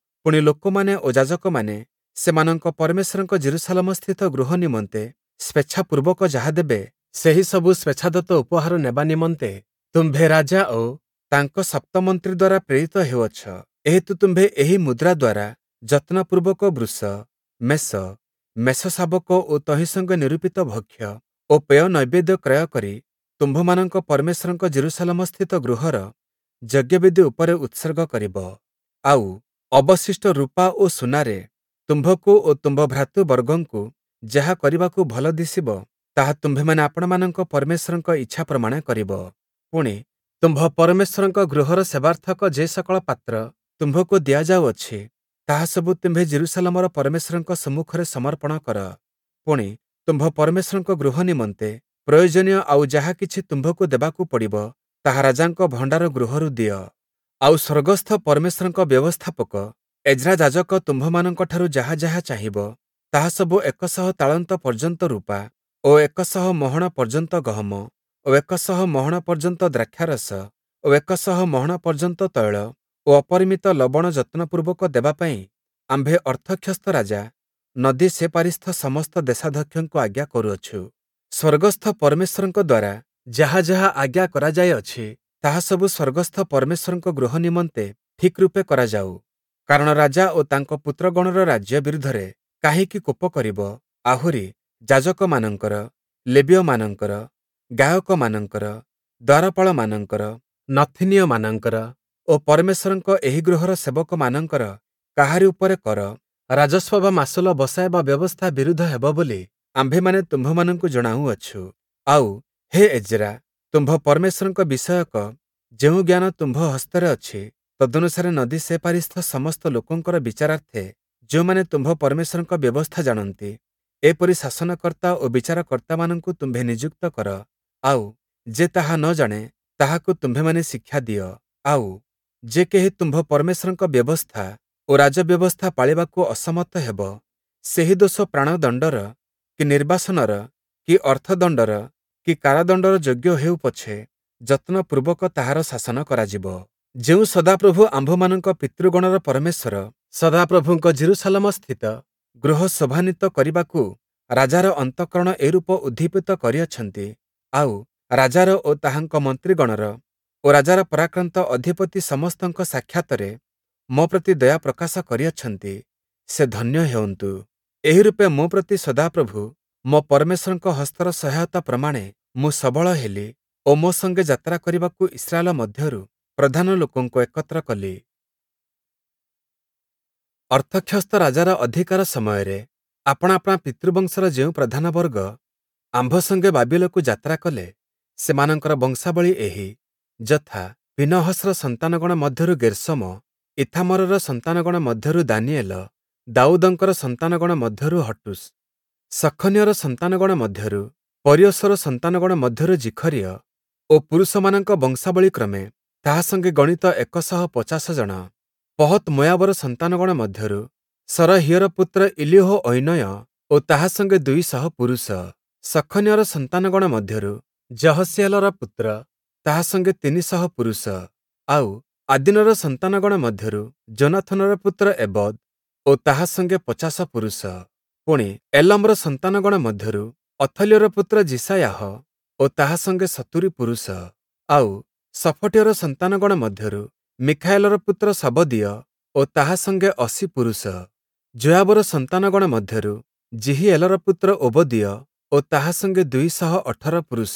ପୁଣି ଲୋକମାନେ ଓ ଯାଜକମାନେ ସେମାନଙ୍କ ପରମେଶ୍ୱରଙ୍କ ଯିରୂଶାଲମସ୍ଥିତ ଗୃହ ନିମନ୍ତେ ସ୍ୱେଚ୍ଛାପୂର୍ବକ ଯାହା ଦେବେ, ସେହି ସବୁ ସ୍ୱେଚ୍ଛାଦତ୍ତ ଉପହାର ନେବା ନିମନ୍ତେ ତୁମ୍ଭେ ରାଜା ଓ ତାଙ୍କ ସପ୍ତମନ୍ତ୍ରୀ ଦ୍ୱାରା ପ୍ରେରିତ ହେଉଅଛ। ଏହେତୁ ତୁମ୍ଭେ ଏହି ମୁଦ୍ରା ଦ୍ୱାରା ଯତ୍ନପୂର୍ବକ ବୃଷ, ମେଷ, ମେଷଶାବକ ଓ ତହିଁ ସଙ୍ଗେ ନିରୂପିତ ଭକ୍ଷ୍ୟ ଓ ପେୟ ନୈବେଦ୍ୟ କ୍ରୟ କରି ତୁମ୍ଭମାନଙ୍କ ପରମେଶ୍ୱରଙ୍କ ଯିରୂଶାଲମସ୍ଥିତ ଗୃହର ଯଜ୍ଞବେଦି ଉପରେ ଉତ୍ସର୍ଗ କରିବ। ଆଉ ଅବଶିଷ୍ଟ ରୂପା ଓ ସୁନାରେ ତୁମ୍ଭକୁ ଓ ତୁମ୍ଭ ଭ୍ରାତୃବର୍ଗଙ୍କୁ ଯାହା କରିବାକୁ ଭଲ ଦିଶିବ, ତାହା ତୁମ୍ଭେମାନେ ଆପଣାମାନଙ୍କ ପରମେଶ୍ୱରଙ୍କ ଇଚ୍ଛା ପ୍ରମାଣେ କରିବ। ପୁଣି ତୁମ୍ଭ ପରମେଶ୍ୱରଙ୍କ ଗୃହର ସେବାର୍ଥକ ଯେ ସକଳ ପାତ୍ର ତୁମ୍ଭକୁ ଦିଆଯାଉଅଛି, ତାହା ସବୁ ତୁମ୍ଭେ ଯିରୂଶାଲମର ପରମେଶ୍ୱରଙ୍କ ସମ୍ମୁଖରେ ସମର୍ପଣ କର। ପୁଣି ତୁମ୍ଭ ପରମେଶ୍ୱରଙ୍କ ଗୃହ ନିମନ୍ତେ ପ୍ରୟୋଜନୀୟ ଆଉ ଯାହା କିଛି ତୁମ୍ଭକୁ ଦେବାକୁ ପଡ଼ିବ, ତାହା ରାଜାଙ୍କ ଭଣ୍ଡାର ଗୃହରୁ ଦିଅ। ଆଉ ସ୍ୱର୍ଗସ୍ଥ ପରମେଶ୍ୱରଙ୍କ ବ୍ୟବସ୍ଥାପକ ଏଜ୍ରା ଯାଜକ ତୁମ୍ଭମାନଙ୍କଠାରୁ ଯାହା ଯାହା ଚାହିଁବ, ତାହା ସବୁ ଏକ ଶହ ତାଳନ୍ତ ପର୍ଯ୍ୟନ୍ତ ରୂପା ଓ ଏକ ଶହ ମହଣ ପର୍ଯ୍ୟନ୍ତ ଗହମ ଓ ଏକ ଶହ ମହଣ ପର୍ଯ୍ୟନ୍ତ ଦ୍ରାକ୍ଷାରସ ଓ ଏକ ଶହ ମହଣ ପର୍ଯ୍ୟନ୍ତ ତୈଳ ଓ ଅପରିମିତ ଲବଣ ଯତ୍ନପୂର୍ବକ ଦେବା ପାଇଁ ଆମ୍ଭେ ଅର୍ଥକ୍ଷସ୍ତ ରାଜା ନଦୀ ସେପାରିସ୍ଥ ସମସ୍ତ ଦେଶାଧ୍ୟକ୍ଷଙ୍କୁ ଆଜ୍ଞା କରୁଅଛୁ। ସ୍ୱର୍ଗସ୍ଥ ପରମେଶ୍ୱରଙ୍କ ଦ୍ୱାରା ଯାହା ଯାହା ଆଜ୍ଞା କରାଯାଇଅଛି, ତାହା ସବୁ ସ୍ୱର୍ଗସ୍ଥ ପରମେଶ୍ୱରଙ୍କ ଗୃହ ନିମନ୍ତେ ଠିକ୍ ରୂପେ କରାଯାଉ। କାରଣ ରାଜା ଓ ତାଙ୍କ ପୁତ୍ରଗଣର ରାଜ୍ୟ ବିରୁଦ୍ଧରେ କାହିଁକି କୋପ କରିବ? ଆହୁରି ଯାଜକମାନଙ୍କର, ଲେବୀୟମାନଙ୍କର, ଗାୟକମାନଙ୍କର, ଦ୍ୱାରପାଳମାନଙ୍କର, ନଥୀନୀୟମାନଙ୍କର ଓ ପରମେଶ୍ୱରଙ୍କ ଏହି ଗୃହର ସେବକମାନଙ୍କର କାହାରି ଉପରେ କର, ରାଜସ୍ୱ ବା ମାସୁଲ ବସାଇବା ବ୍ୟବସ୍ଥା ବିରୁଦ୍ଧ ହେବ ବୋଲି ଆମ୍ଭେମାନେ ତୁମ୍ଭମାନଙ୍କୁ ଜଣାଉଅଛୁ। ଆଉ ହେ ଏଜ୍ରା, ତୁମ୍ଭ ପରମେଶ୍ୱରଙ୍କ ବିଷୟକ ଯେଉଁ ଜ୍ଞାନ ତୁମ୍ଭ ହସ୍ତରେ ଅଛି, ତଦନୁସାରେ ନଦୀ ସେପାରିସ୍ଥ ସମସ୍ତ ଲୋକଙ୍କର ବିଚାରାର୍ଥେ ଯେଉଁମାନେ ତୁମ୍ଭ ପରମେଶ୍ୱରଙ୍କ ବ୍ୟବସ୍ଥା ଜାଣନ୍ତି, ଏପରି ଶାସନକର୍ତ୍ତା ଓ ବିଚାରକର୍ତ୍ତାମାନଙ୍କୁ ତୁମ୍ଭେ ନିଯୁକ୍ତ କର। ଆଉ ଯେ ତାହା ନ ଜାଣେ, ତାହାକୁ ତୁମ୍ଭେମାନେ ଶିକ୍ଷା ଦିଅ। ଆଉ ଯେ କେହି ତୁମ୍ଭ ପରମେଶ୍ୱରଙ୍କ ବ୍ୟବସ୍ଥା ଓ ରାଜବ୍ୟବସ୍ଥା ପାଳିବାକୁ ଅସମର୍ଥ ହେବ, ସେହି ଦୋଷ ପ୍ରାଣଦଣ୍ଡର କି ନିର୍ବାସନର କି ଅର୍ଥଦଣ୍ଡର କି କାରାଦଣ୍ଡର ଯୋଗ୍ୟ ହେଉ ପଛେ, ଯତ୍ନପୂର୍ବକ ତାହାର ଶାସନ କରାଯିବ। ଯେଉଁ ସଦାପ୍ରଭୁ ଆମ୍ଭମାନଙ୍କ ପିତୃଗଣର ପରମେଶ୍ୱର ସଦାପ୍ରଭୁଙ୍କ ଯିରୂଶାଲମସ୍ଥିତ ଗୃହ ଶୋଭାନ୍ୱିତ କରିବାକୁ ରାଜାର ଅନ୍ତଃକରଣ ଏରୂପ ଉଦ୍ଦୀପିତ କରିଅଛନ୍ତି, ଆଉ ରାଜାର ଓ ତାହାଙ୍କ ମନ୍ତ୍ରୀଗଣର ଓ ରାଜାର ପରାକ୍ରାନ୍ତ ଅଧିପତି ସମସ୍ତଙ୍କ ସାକ୍ଷାତରେ ମୋ ପ୍ରତି ଦୟା ପ୍ରକାଶ କରିଅଛନ୍ତି, ସେ ଧନ୍ୟ ହେଉନ୍ତୁ। ଏହି ରୂପେ ମୋ ପ୍ରତି ସଦାପ୍ରଭୁ ମୋ ପରମେଶ୍ୱରଙ୍କ ହସ୍ତର ସହାୟତା ପ୍ରମାଣେ ମୁଁ ସବଳ ହେଲି ଓ ମୋ ସଙ୍ଗେ ଯାତ୍ରା କରିବାକୁ ଇସ୍ରାଏଲ ମଧ୍ୟରୁ ପ୍ରଧାନ ଲୋକଙ୍କୁ ଏକତ୍ର କଲି। ଅର୍ଥକ୍ଷସ୍ତ ରାଜାର ଅଧିକାର ସମୟରେ ଆପଣା ଆପଣା ପିତୃବଂଶର ଯେଉଁ ପ୍ରଧାନ ବର୍ଗ ଆମ୍ଭ ସଙ୍ଗେ ବାବିଲକୁ ଯାତ୍ରା କଲେ, ସେମାନଙ୍କର ବଂଶାବଳୀ ଏହି, ଯଥା, ପୀନହସର ସନ୍ତାନଗଣ ମଧ୍ୟରୁ ଗେର୍ଶୋମ, ଈଥାମରର ସନ୍ତାନଗଣ ମଧ୍ୟରୁ ଦାନିଏଲ, ଦାଉଦଙ୍କର ସନ୍ତାନଗଣ ମଧ୍ୟରୁ ହଟ୍ଟୂଶ୍, ଶଖନ୍ୟର ସନ୍ତାନଗଣ ମଧ୍ୟରୁ ପରୀୟୋଶର ସନ୍ତାନଗଣ ମଧ୍ୟରୁ ଜିଖରିୟ ଓ ପୁରୁଷମାନଙ୍କ ବଂଶାବଳୀ କ୍ରମେ ତାହା ସଙ୍ଗେ ଗଣିତ ଏକ ଶହ ପଚାଶ ଜଣ। ପହତ୍ ମୋୟାବର ସନ୍ତାନଗଣ ମଧ୍ୟରୁ ସରହୀୟର ପୁତ୍ର ଇଲିହୋ-ଐନୟ ଓ ତାହା ସଙ୍ଗେ ଦୁଇ ଶହ ପୁରୁଷ। ଶଖନ୍ୟର ସନ୍ତାନଗଣ ମଧ୍ୟରୁ ଯହସୀଏଲର ପୁତ୍ର ତାହା ସଙ୍ଗେ ତିନି ଶହ ପୁରୁଷ। ଆଉ ଆଦୀନର ସନ୍ତାନଗଣ ମଧ୍ୟରୁ ଯୋନାଥନର ପୁତ୍ର ଏବଦ୍ ଓ ତାହା ସଙ୍ଗେ ପଚାଶ ପୁରୁଷ। ପୁଣି ଏଲମର ସନ୍ତାନଗଣ ମଧ୍ୟରୁ ଅଥଲ୍ୟର ପୁତ୍ର ଯିଶାୟାହ ଓ ତାହା ସଙ୍ଗେ ସତୁରି ପୁରୁଷ। ଆଉ ଶଫଟୀୟର ସନ୍ତାନଗଣ ମଧ୍ୟରୁ ମିଖାଏଲର ପୁତ୍ର ଶବଦୀୟ ଓ ତାହା ସଙ୍ଗେ ଅଶୀ ପୁରୁଷ। ଯୋୟାବର ସନ୍ତାନଗଣ ମଧ୍ୟରୁ ଯିହୀଏଲର ପୁତ୍ର ଓବଦୀୟ ଓ ତାହା ସଙ୍ଗେ ଦୁଇ ଶହ ଅଠର ପୁରୁଷ।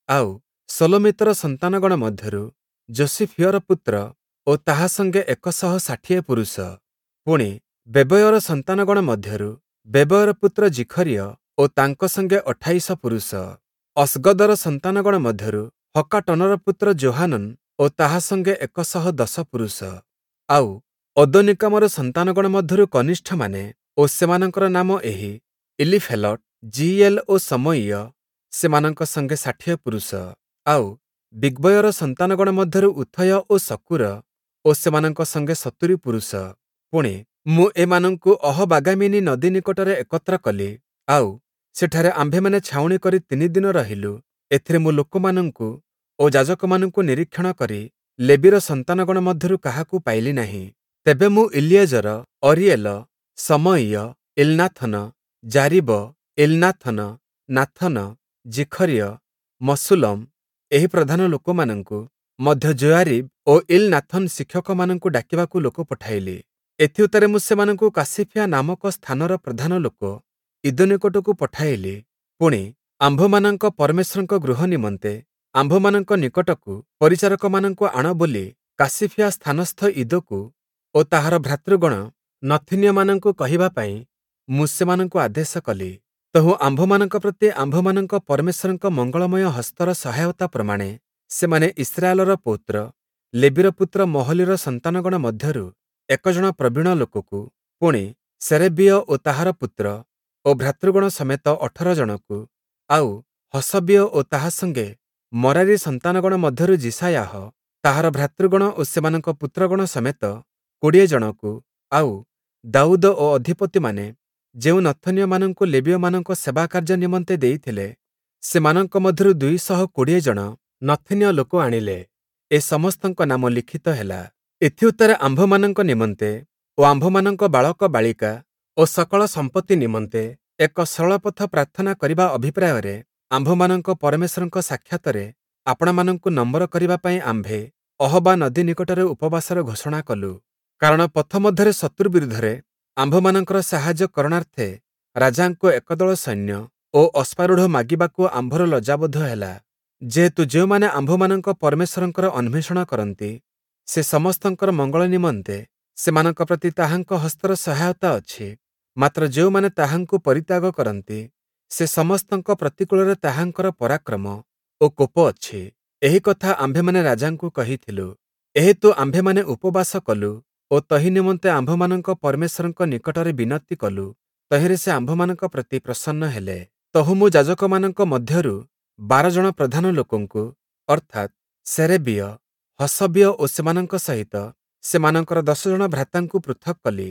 ଆଉ ଶଲୋମୀତର ସନ୍ତାନଗଣ ମଧ୍ୟରୁ ଯୋଶିଫିୟର ପୁତ୍ର ଓ ତାହା ସଙ୍ଗେ ଏକ ଶହ ଷାଠିଏ ପୁରୁଷ। ପୁଣି ବେବୟର ସନ୍ତାନଗଣ ମଧ୍ୟରୁ ବେବୟର ପୁତ୍ର ଜିଖରିୟ ଓ ତାଙ୍କ ସଙ୍ଗେ ଅଠାଇଶ ପୁରୁଷ। ଅସ୍ଗଦର ସନ୍ତାନଗଣ ମଧ୍ୟରୁ ହକ୍କାଟନର ପୁତ୍ର ଯୋହାନନ୍ ଓ ତାହା ସଙ୍ଗେ ଏକ ଶହ ଦଶ ପୁରୁଷ। ଆଉ ଅଦୋନୀକାମର ସନ୍ତାନଗଣ ମଧ୍ୟରୁ କନିଷ୍ଠମାନେ ଓ ସେମାନଙ୍କର ନାମ ଏହି, ଇଲୀଫେଲଟ୍, ଯିୟୀୟେଲ ଓ ଶମୟିୟ, ସେମାନଙ୍କ ସଙ୍ଗେ ଷାଠିଏ ପୁରୁଷ। ଆଉ, ବିଗ୍ବୟର ସନ୍ତାନଗଣ ମଧ୍ୟରୁ ଉଥୟ ଓ ଶକ୍କୁର ଓ ସେମାନଙ୍କ ସଙ୍ଗେ ସତୁରି ପୁରୁଷ। ପୁଣି, ମୁଁ ଏମାନଙ୍କୁ ଅହବାଗାମିନୀ ନଦୀ ନିକଟରେ ଏକତ୍ର କଲି, ଆଉ, ସେଠାରେ ଆମ୍ଭେମାନେ ଛାଉଣି କରି ତିନି ଦିନ ରହିଲୁ। ଏଥିରେ ମୁଁ ଲୋକମାନଙ୍କୁ ଓ ଯାଜକମାନଙ୍କୁ ନିରୀକ୍ଷଣ କରି ଲେବୀର ସନ୍ତାନଗଣ ମଧ୍ୟରୁ କାହାକୁ ପାଇଲି ନାହିଁ। ତେବେ ମୁଁ ଇଲିଏଜର, ଅରୀଏଲ, ଶମୟିୟ, ଇଲନାଥନ, ଯାରୀବ, ଇଲନାଥନ, ନାଥନ, ଜିଖରିୟ, ମଶୁଲ୍ଲମ୍, ଏହି ପ୍ରଧାନ ଲୋକମାନଙ୍କୁ ମଧ୍ୟ ଯୋୟାରୀବ୍ ଓ ଇଲନାଥନ୍ ଶିକ୍ଷକମାନଙ୍କୁ ଡାକିବାକୁ ଲୋକ ପଠାଇଲି। ଏଥିଉତ୍ତାରେ ମୁଁ ସେମାନଙ୍କୁ କାସିଫିୟା ନାମକ ସ୍ଥାନର ପ୍ରଧାନ ଲୋକ ଇଦୋ ନିକଟକୁ ପଠାଇଲି। ପୁଣି, ଆମ୍ଭମାନଙ୍କ ପରମେଶ୍ୱରଙ୍କ ଗୃହ ନିମନ୍ତେ ଆମ୍ଭମାନଙ୍କ ନିକଟକୁ ପରିଚାରକମାନଙ୍କୁ ଆଣ ବୋଲି କାସିଫିୟା ସ୍ଥାନସ୍ଥ ଇଦୋକୁ ଓ ତାହାର ଭ୍ରାତୃଗଣ ନଥୀନୀୟମାନଙ୍କୁ କହିବା ପାଇଁ ମୁଁ ସେମାନଙ୍କୁ ଆଦେଶ କଲି। ତହୁଁ ଆମ୍ଭମାନଙ୍କ ପ୍ରତି ଆମ୍ଭମାନଙ୍କ ପରମେଶ୍ୱରଙ୍କ ମଙ୍ଗଳମୟ ହସ୍ତର ସହାୟତା ପ୍ରମାଣେ ସେମାନେ ଇସ୍ରାଏଲର ପୌତ୍ର ଲେବୀର ପୁତ୍ର ମହଲିର ସନ୍ତାନଗଣ ମଧ୍ୟରୁ ଏକ ଜଣ ପ୍ରବୀଣ ଲୋକକୁ, ପୁଣି, ଶେରେବୀୟ ଓ ତାହାର ପୁତ୍ର ଓ ଭ୍ରାତୃଗଣ ସମେତ ଅଠର ଜଣକୁ, ଆଉ, ହଶବୀୟ ଓ ତାହା ସଙ୍ଗେ ମରାରି ସନ୍ତାନଗଣ ମଧ୍ୟରୁ ଯିଶାୟାହ, ତାହାର ଭ୍ରାତୃଗଣ ଓ ସେମାନଙ୍କ ପୁତ୍ରଗଣ ସମେତ କୋଡ଼ିଏ ଜଣକୁ, ଆଉ, ଦାଉଦ ଓ ଅଧିପତିମାନେ ଯେଉଁ ନଥନୀୟମାନଙ୍କୁ ଲେବୀୟମାନଙ୍କ ସେବାକାର୍ଯ୍ୟ ନିମନ୍ତେ ଦେଇଥିଲେ, ସେମାନଙ୍କ ମଧ୍ୟରୁ ଦୁଇ ଶହ କୋଡ଼ିଏ ଜଣ ନଥୀନୀୟ ଲୋକ ଆଣିଲେ। ଏ ସମସ୍ତଙ୍କ ନାମ ଲିଖିତ ହେଲା। ଏଥିଉତ୍ତାରେ ଆମ୍ଭମାନଙ୍କ ନିମନ୍ତେ ଓ ଆମ୍ଭମାନଙ୍କ ବାଳକ ବାଳିକା ଓ ସକଳ ସମ୍ପତ୍ତି ନିମନ୍ତେ ଏକ ସରଳ ପଥ ପ୍ରାର୍ଥନା କରିବା ଅଭିପ୍ରାୟରେ ଆମ୍ଭମାନଙ୍କ ପରମେଶ୍ୱରଙ୍କ ସାକ୍ଷାତରେ ଆପଣାମାନଙ୍କୁ ନମ୍ର କରିବା ପାଇଁ ଆମ୍ଭେ ଅହବା ନଦୀ ନିକଟରେ ଉପବାସର ଘୋଷଣା କଲୁ। କାରଣ ପଥ ମଧ୍ୟରେ ଶତ୍ରୁ ବିରୁଦ୍ଧରେ ଆମ୍ଭମାନଙ୍କର ସାହାଯ୍ୟ କରଣାର୍ଥେ ରାଜାଙ୍କୁ ଏକ ଦଳ ସୈନ୍ୟ ଓ ଅଶ୍ୱାରୂଢ଼ ମାଗିବାକୁ ଆମ୍ଭର ଲଜ୍ଜାବୋଧ ହେଲା। ଯେହେତୁ ଯେଉଁମାନେ ଆମ୍ଭମାନଙ୍କ ପରମେଶ୍ୱରଙ୍କର ଅନ୍ୱେଷଣ କରନ୍ତି, ସେ ସମସ୍ତଙ୍କର ମଙ୍ଗଳ ନିମନ୍ତେ ସେମାନଙ୍କ ପ୍ରତି ତାହାଙ୍କ ହସ୍ତର ସହାୟତା ଅଛି। ମାତ୍ର ଯେଉଁମାନେ ତାହାଙ୍କୁ ପରିତ୍ୟାଗ କରନ୍ତି, ସେ ସମସ୍ତଙ୍କ ପ୍ରତିକୂଳରେ ତାହାଙ୍କର ପରାକ୍ରମ ଓ କୋପ ଅଛି। ଏହି କଥା ଆମ୍ଭେମାନେ ରାଜାଙ୍କୁ କହିଥିଲୁ। ଏହେତୁ ଆମ୍ଭେମାନେ ଉପବାସ କଲୁ ଓ ତହିଁ ନିମନ୍ତେ ଆମ୍ଭମାନଙ୍କ ପରମେଶ୍ୱରଙ୍କ ନିକଟରେ ବିନତି କଲୁ। ତହିଁରେ ସେ ଆମ୍ଭମାନଙ୍କ ପ୍ରତି ପ୍ରସନ୍ନ ହେଲେ। ତହୁଁ ମୁଁ ଯାଜକମାନଙ୍କ ମଧ୍ୟରୁ ବାର ଜଣ ପ୍ରଧାନ ଲୋକଙ୍କୁ, ଅର୍ଥାତ୍ ଶେରେବୀୟ, ହଶବୀୟ ଓ ସେମାନଙ୍କ ସହିତ ସେମାନଙ୍କର ଦଶ ଜଣ ଭ୍ରାତାଙ୍କୁ ପୃଥକ୍ କଲି।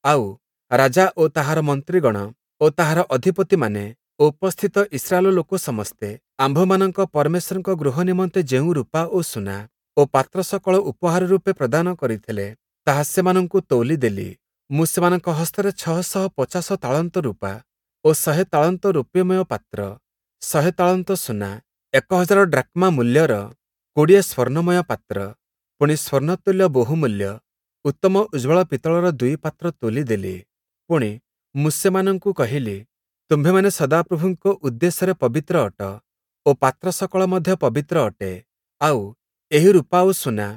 ଆଉ, ରାଜା ଓ ତାହାର ମନ୍ତ୍ରୀଗଣ ଓ ତାହାର ଅଧିପତିମାନେ ଓ ଉପସ୍ଥିତ ଇସ୍ରାଏଲ ଲୋକ ସମସ୍ତେ ଆମ୍ଭମାନଙ୍କ ପରମେଶ୍ୱରଙ୍କ ଗୃହ ନିମନ୍ତେ ଯେଉଁ ରୂପା ଓ ସୁନା ଓ ପାତ୍ର ସକଳ ଉପହାର ରୂପେ ପ୍ରଦାନ କରିଥିଲେ, ତାହା ସେମାନଙ୍କୁ ତୌଲି ଦେଲି। ମୁଁ ସେମାନଙ୍କ ହସ୍ତରେ ଛଅ ଶହ ପଚାଶ ତାଳନ୍ତ ରୂପା ଓ ଶହେ ତାଳନ୍ତ ରୌପ୍ୟମୟ ପାତ୍ର, ଶହେ ତାଳନ୍ତ ସୁନା, ଏକ ହଜାର ଡ୍ରାକ୍ମା ମୂଲ୍ୟର କୋଡ଼ିଏ ସ୍ୱର୍ଣ୍ଣମୟ ପାତ୍ର, ପୁଣି ସ୍ୱର୍ଣ୍ଣତୁଲ୍ୟ ବହୁମୂଲ୍ୟ ଉତ୍ତମ ଉଜ୍ଜ୍ୱଳ ପିତ୍ତଳର ଦୁଇ ପାତ୍ର ତୋଲି ଦେଲି। ପୁଣି, ମୁଁ ସେମାନଙ୍କୁ କହିଲି, ତୁମ୍ଭେମାନେ ସଦାପ୍ରଭୁଙ୍କ ଉଦ୍ଦେଶ୍ୟରେ ପବିତ୍ର ଅଟ ଓ ପାତ୍ର ସକଳ ମଧ୍ୟ ପବିତ୍ର ଅଟେ। ଆଉ, ଏହି ରୂପା ଓ ସୁନା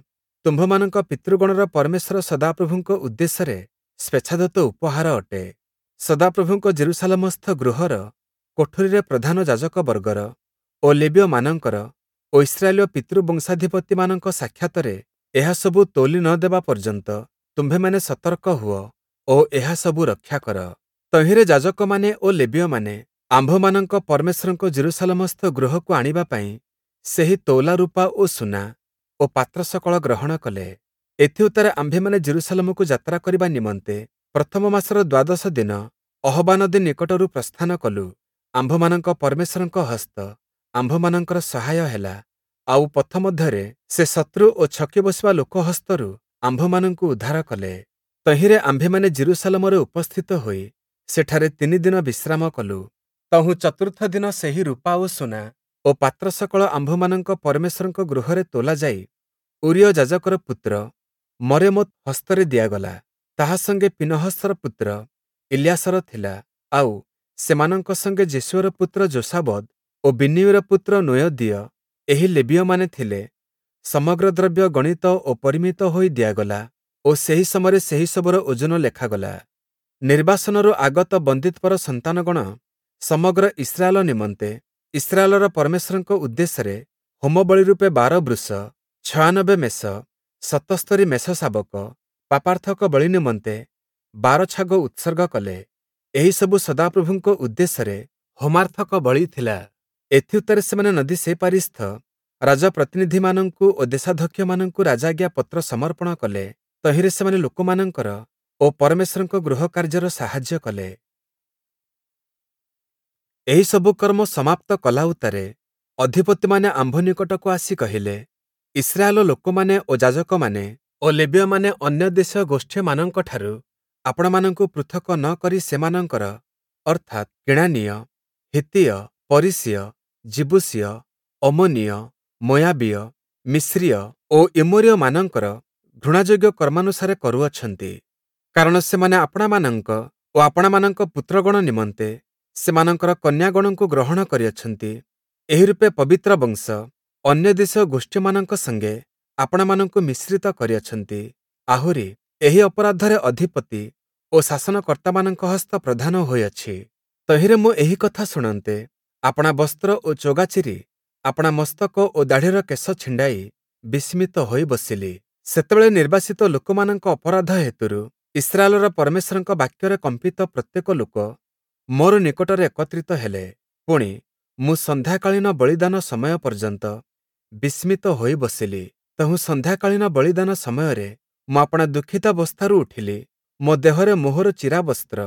ତୁମ୍ଭମାନଙ୍କ ପିତୃଗଣର ପରମେଶ୍ୱର ସଦାପ୍ରଭୁଙ୍କ ଉଦ୍ଦେଶ୍ୟରେ ସ୍ୱେଚ୍ଛାଦତ୍ତ ଉପହାର ଅଟେ। ସଦାପ୍ରଭୁଙ୍କ ଯିରୂଶାଲମସ୍ଥ ଗୃହର କୋଠରୀରେ ପ୍ରଧାନ ଯାଜକବର୍ଗର ଓ ଲେବୀୟମାନଙ୍କର ଓ ଇସ୍ରାଏଲୀୟ ପିତୃବଂଶାଧିପତିମାନଙ୍କ ସାକ୍ଷାତରେ ଏହା ସବୁ ତୌଲି ନ ଦେବା ପର୍ଯ୍ୟନ୍ତ ତୁମ୍ଭେମାନେ ସତର୍କ ହୁଅ ଓ ଏହା ସବୁ ରକ୍ଷା କର। ତହିଁରେ ଯାଜକମାନେ ଓ ଲେବୀୟମାନେ ଆମ୍ଭମାନଙ୍କ ପରମେଶ୍ୱରଙ୍କ ଯିରୂଶାଲମସ୍ଥ ଗୃହକୁ ଆଣିବା ପାଇଁ ସେହି ତୌଲା ରୂପା ଓ ସୁନା ଓ ପାତ୍ର ସକଳ ଗ୍ରହଣ କଲେ। ଏଥିଉତ୍ତାରେ ଆମ୍ଭେମାନେ ଯିରୂଶାଲମକୁ ଯାତ୍ରା କରିବା ନିମନ୍ତେ ପ୍ରଥମ ମାସର ଦ୍ୱାଦଶ ଦିନ ଅହବା ନଦୀ ନିକଟରୁ ପ୍ରସ୍ଥାନ କଲୁ। ଆମ୍ଭମାନଙ୍କ ପରମେଶ୍ୱରଙ୍କ ହସ୍ତ ଆମ୍ଭମାନଙ୍କର ସହାୟ ହେଲା, ଆଉ ପଥ ମଧ୍ୟରେ ସେ ଶତ୍ରୁ ଓ ଛକି ବସିବା ଲୋକ ହସ୍ତରୁ ଆମ୍ଭମାନଙ୍କୁ ଉଦ୍ଧାର କଲେ। ତହିଁରେ ଆମ୍ଭେମାନେ ଯିରୂଶାଲମରେ ଉପସ୍ଥିତ ହୋଇ ସେଠାରେ ତିନି ଦିନ ବିଶ୍ରାମ କଲୁ। ତହୁଁ ଚତୁର୍ଥ ଦିନ ସେହି ରୂପା ଓ ସୁନା ଓ ପାତ୍ର ସକଳ ଆମ୍ଭମାନଙ୍କ ପରମେଶ୍ୱରଙ୍କ ଗୃହରେ ତୋଲାଯାଇ ଊରୀୟ ଯାଜକର ପୁତ୍ର ମରେମୋତ୍ ହସ୍ତରେ ଦିଆଗଲା। ତାହା ସଙ୍ଗେ ପୀନହସର ପୁତ୍ର ଇଲିୟାସର ଥିଲା, ଆଉ, ସେମାନଙ୍କ ସଙ୍ଗେ ଯେଶୂୟର ପୁତ୍ର ଯୋଶାବଦ୍ ଓ ବିନ୍ନୂଇର ପୁତ୍ର ନୋୟଦୀୟ, ଏହି ଲେବୀୟମାନେ ଥିଲେ। ସମଗ୍ର ଦ୍ରବ୍ୟ ଗଣିତ ଓ ପରିମିତ ହୋଇ ଦିଆଗଲା ଓ ସେହି ସମୟରେ ସେହି ସବୁର ଓଜନ ଲେଖାଗଲା। ନିର୍ବାସନରୁ ଆଗତ ବନ୍ଦୀତ୍ୱର ସନ୍ତାନଗଣ ସମଗ୍ର ଇସ୍ରାଏଲ ନିମନ୍ତେ ଇସ୍ରାଏଲର ପରମେଶ୍ୱରଙ୍କ ଉଦ୍ଦେଶ୍ୟରେ ହୋମବଳି ରୂପେ ବାର ବୃଷ, ଛୟାନବେ ମେଷ, ସତସ୍ତରି ମେଷଶାବକ, ପାପାର୍ଥକ ବଳି ନିମନ୍ତେ ବାର ଛାଗ ଉତ୍ସର୍ଗ କଲେ। ଏହିସବୁ ସଦାପ୍ରଭୁଙ୍କ ଉଦ୍ଦେଶ୍ୟରେ ହୋମାର୍ଥକ ବଳି ଥିଲା। ଏଥିଉତ୍ତାରେ ସେମାନେ ନଦୀ ସେପାରିସ୍ଥ ରାଜପ୍ରତିନିଧିମାନଙ୍କୁ ଓ ଦେଶାଧ୍ୟକ୍ଷମାନଙ୍କୁ ରାଜାଜ୍ଞା ପତ୍ର ସମର୍ପଣ କଲେ। ତହିଁରେ ସେମାନେ ଲୋକମାନଙ୍କର ଓ ପରମେଶ୍ୱରଙ୍କ ଗୃହ କାର୍ଯ୍ୟର ସାହାଯ୍ୟ କଲେ। ଏହିସବୁ କର୍ମ ସମାପ୍ତ କଲା ଉତ୍ତାରେ ଅଧିପତିମାନେ ଆମ୍ଭ ନିକଟକୁ ଆସି କହିଲେ, ଇସ୍ରାଏଲ ଲୋକମାନେ ଓ ଯାଜକମାନେ ଓ ଲେବୀୟମାନେ ଅନ୍ୟ ଦେଶୀୟ ଗୋଷ୍ଠୀମାନଙ୍କଠାରୁ ଆପଣାମାନଙ୍କୁ ପୃଥକ ନ କରି ସେମାନଙ୍କର, ଅର୍ଥାତ୍ କିଣାନୀୟ, ହିତ୍ତୀୟ, ପରିସୀୟ, ଯିବୂସୀୟ, ଅମ୍ମୋନୀୟ, ମୋୟାବୀୟ, ମିସ୍ରୀୟ ଓ ଇମୋରୀୟମାନଙ୍କର ଘୃଣାଯୋଗ୍ୟ କର୍ମାନୁସାରେ କରୁଅଛନ୍ତି। କାରଣ ସେମାନେ ଆପଣାମାନଙ୍କ ଓ ଆପଣାମାନଙ୍କ ପୁତ୍ରଗଣ ନିମନ୍ତେ ସେମାନଙ୍କର କନ୍ୟାଗଣଙ୍କୁ ଗ୍ରହଣ କରିଅଛନ୍ତି। ଏହିରୂପେ ପବିତ୍ର ବଂଶ ଅନ୍ୟ ଦେଶୀୟ ଗୋଷ୍ଠୀମାନଙ୍କ ସଙ୍ଗେ ଆପଣାମାନଙ୍କୁ ମିଶ୍ରିତ କରିଅଛନ୍ତି। ଆହୁରି ଏହି ଅପରାଧରେ ଅଧିପତି ଓ ଶାସନକର୍ତ୍ତାମାନଙ୍କ ହସ୍ତ ପ୍ରଧାନ ହୋଇଅଛି। ତହିଁରେ ମୁଁ ଏହି କଥା ଶୁଣନ୍ତେ ଆପଣା ବସ୍ତ୍ର ଓ ଚୋଗା ଚିରି ଆପଣା ମସ୍ତକ ଓ ଦାଢ଼ିର କେଶ ଛିଣ୍ଡାଇ ବିସ୍ମିତ ହୋଇ ବସିଲି। ସେତେବେଳେ ନିର୍ବାସିତ ଲୋକମାନଙ୍କ ଅପରାଧ ହେତୁରୁ ଇସ୍ରାଏଲର ପରମେଶ୍ୱରଙ୍କ ବାକ୍ୟରେ କମ୍ପିତ ପ୍ରତ୍ୟେକ ଲୋକ ମୋର ନିକଟରେ ଏକତ୍ରିତ ହେଲେ। ପୁଣି, ମୁଁ ସନ୍ଧ୍ୟାକାଳୀନ ବଳିଦାନ ସମୟ ପର୍ଯ୍ୟନ୍ତ ବିସ୍ମିତ ହୋଇ ବସିଲି। ତହୁଁ ସନ୍ଧ୍ୟାକାଳୀନ ବଳିଦାନ ସମୟରେ ମୁଁ ଆପଣା ଦୁଃଖିତାବସ୍ଥାରୁ ଉଠିଲି। ମୋ ଦେହରେ ମୋହର ଚିରା ବସ୍ତ୍ର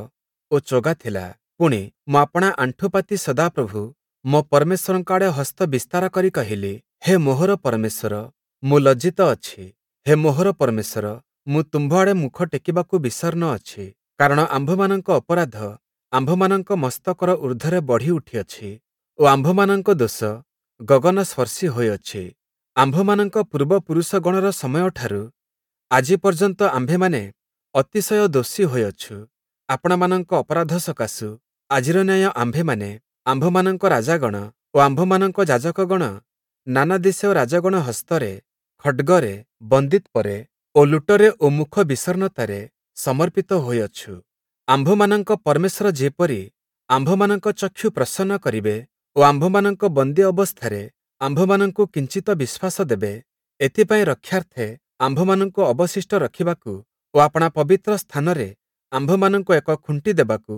ଓ ଚୋଗା ଥିଲା। ପୁଣି, ମୁଁ ଆପଣା ଆଣ୍ଠୁ ପାତି ସଦାପ୍ରଭୁ ମୋ ପରମେଶ୍ୱରଙ୍କ ଆଡ଼େ ହସ୍ତ ବିସ୍ତାର କରି କହିଲି, ହେ ମୋହର ପରମେଶ୍ୱର, ମୁଁ ଲଜ୍ଜିତ ଅଛି। ହେ ମୋହର ପରମେଶ୍ୱର, ମୁଁ ତୁମ୍ଭ ଆଡ଼େ ମୁଖ ଟେକିବାକୁ ବିଷର୍ଣ୍ଣ ଅଛି। କାରଣ ଆମ୍ଭମାନଙ୍କ ଅପରାଧ ଆମ୍ଭମାନଙ୍କ ମସ୍ତକର ଊର୍ଦ୍ଧ୍ୱରେ ବଢ଼ି ଉଠିଅଛି ଓ ଆମ୍ଭମାନଙ୍କ ଦୋଷ ଗଗନସ୍ପର୍ଶୀ ହୋଇଅଛି। ଆମ୍ଭମାନଙ୍କ ପୂର୍ବପୁରୁଷଗଣର ସମୟଠାରୁ ଆଜି ପର୍ଯ୍ୟନ୍ତ ଆମ୍ଭେମାନେ ଅତିଶୟ ଦୋଷୀ ହୋଇଅଛୁ। ଆପଣାମାନଙ୍କ ଅପରାଧ ସକାଶୁ ଆଜିର ନ୍ୟାୟ ଆମ୍ଭେମାନେ, ଆମ୍ଭମାନଙ୍କ ରାଜାଗଣ ଓ ଆମ୍ଭମାନଙ୍କ ଯାଜକଗଣ ନାନା ଦେଶୀୟ ରାଜଗଣ ହସ୍ତରେ, ଖଡ୍ଗରେ, ବନ୍ଦୀତ୍ୱରେ ଓ ଲୁଟରେ ଓ ମୁଖ ବିଷର୍ଣ୍ଣତାରେ ସମର୍ପିତ ହୋଇଅଛୁ। ଆମ୍ଭମାନଙ୍କ ପରମେଶ୍ୱର ଯେପରି ଆମ୍ଭମାନଙ୍କ ଚକ୍ଷୁ ପ୍ରସନ୍ନ କରିବେ ଓ ଆମ୍ଭମାନଙ୍କ ବନ୍ଦୀ ଅବସ୍ଥାରେ ଆମ୍ଭମାନଙ୍କୁ କିଞ୍ଚିତ ବିଶ୍ୱାସ ଦେବେ, ଏଥିପାଇଁ ରକ୍ଷାର୍ଥେ ଆମ୍ଭମାନଙ୍କୁ ଅବଶିଷ୍ଟ ରଖିବାକୁ ଓ ଆପଣା ପବିତ୍ର ସ୍ଥାନରେ ଆମ୍ଭମାନଙ୍କୁ ଏକ ଖୁଣ୍ଟି ଦେବାକୁ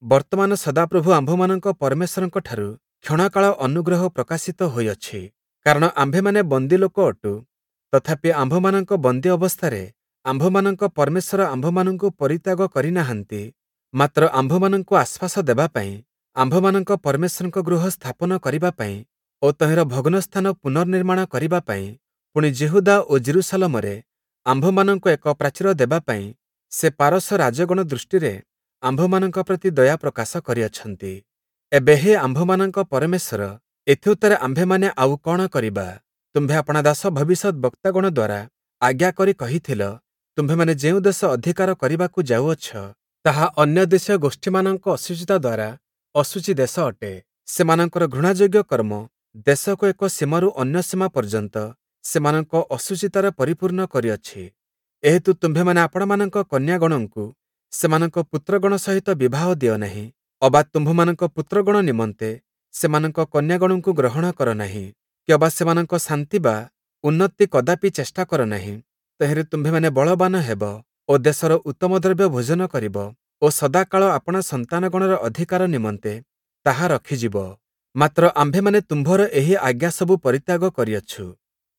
ବର୍ତ୍ତମାନ ସଦାପ୍ରଭୁ ଆମ୍ଭମାନଙ୍କ ପରମେଶ୍ୱରଙ୍କଠାରୁ କ୍ଷଣକାଳ ଅନୁଗ୍ରହ ପ୍ରକାଶିତ ହୋଇଅଛି। କାରଣ ଆମ୍ଭେମାନେ ବନ୍ଦୀ ଲୋକ ଅଟୁ, ତଥାପି ଆମ୍ଭମାନଙ୍କ ବନ୍ଦୀ ଅବସ୍ଥାରେ ଆମ୍ଭମାନଙ୍କ ପରମେଶ୍ୱର ଆମ୍ଭମାନଙ୍କୁ ପରିତ୍ୟାଗ କରିନାହାନ୍ତି, ମାତ୍ର ଆମ୍ଭମାନଙ୍କୁ ଆଶ୍ୱାସ ଦେବା ପାଇଁ, ଆମ୍ଭମାନଙ୍କ ପରମେଶ୍ୱରଙ୍କ ଗୃହ ସ୍ଥାପନ କରିବା ପାଇଁ ଓ ତହିଁର ଭଗ୍ନ ସ୍ଥାନ ପୁନର୍ନିର୍ମାଣ କରିବା ପାଇଁ, ପୁଣି ଯିହୁଦା ଓ ଯିରୂଶାଲମରେ ଆମ୍ଭମାନଙ୍କୁ ଏକ ପ୍ରାଚୀର ଦେବା ପାଇଁ ସେ ପାରସ ରାଜଗଣ ଦୃଷ୍ଟିରେ ଆମ୍ଭମାନଙ୍କ ପ୍ରତି ଦୟା ପ୍ରକାଶ କରିଅଛନ୍ତି। ଏବେ ହେ ଆମ୍ଭମାନଙ୍କ ପରମେଶ୍ୱର, ଏଥିଉତ୍ତାରେ ଆମ୍ଭେମାନେ ଆଉ କଣ କରିବା? ତୁମ୍ଭେ ଆପଣା ଦାସ ଭବିଷ୍ୟଦ୍‌ବକ୍ତାଗଣ ଦ୍ୱାରା ଆଜ୍ଞା କରି କହିଥିଲ, ତୁମ୍ଭେମାନେ ଯେଉଁ ଦେଶ ଅଧିକାର କରିବାକୁ ଯାଉଅଛ, ତାହା ଅନ୍ୟ ଦେଶୀୟ ଗୋଷ୍ଠୀମାନଙ୍କ ଅଶୁଚିତା ଦ୍ୱାରା ଅଶୁଚି ଦେଶ ଅଟେ। ସେମାନଙ୍କର ଘୃଣାଯୋଗ୍ୟ କର୍ମ ଦେଶକୁ ଏକ ସୀମାରୁ ଅନ୍ୟ ସୀମା ପର୍ଯ୍ୟନ୍ତ ସେମାନଙ୍କ ଅଶୁଚିତାରେ ପରିପୂର୍ଣ୍ଣ କରିଅଛି। ଏହେତୁ ତୁମ୍ଭେମାନେ ଆପଣାମାନଙ୍କ କନ୍ୟାଗଣଙ୍କୁ ସେମାନଙ୍କ ପୁତ୍ରଗଣ ସହିତ ବିବାହ ଦିଅ ନାହିଁ, ଅବା ତୁମ୍ଭମାନଙ୍କ ପୁତ୍ରଗଣ ନିମନ୍ତେ ସେମାନଙ୍କ କନ୍ୟାଗଣଙ୍କୁ ଗ୍ରହଣ କର ନାହିଁ, କିଅବା ସେମାନଙ୍କ ଶାନ୍ତି ବା ଉନ୍ନତି କଦାପି ଚେଷ୍ଟା କର ନାହିଁ। ତହିଁରେ ତୁମ୍ଭେମାନେ ବଳବାନ ହେବ ଓ ଦେଶର ଉତ୍ତମ ଦ୍ରବ୍ୟ ଭୋଜନ କରିବ ଓ ସଦାକାଳ ଆପଣା ସନ୍ତାନଗଣର ଅଧିକାର ନିମନ୍ତେ ତାହା ରଖିଯିବ। ମାତ୍ର ଆମ୍ଭେମାନେ ତୁମ୍ଭର ଏହି ଆଜ୍ଞା ସବୁ ପରିତ୍ୟାଗ କରିଅଛୁ।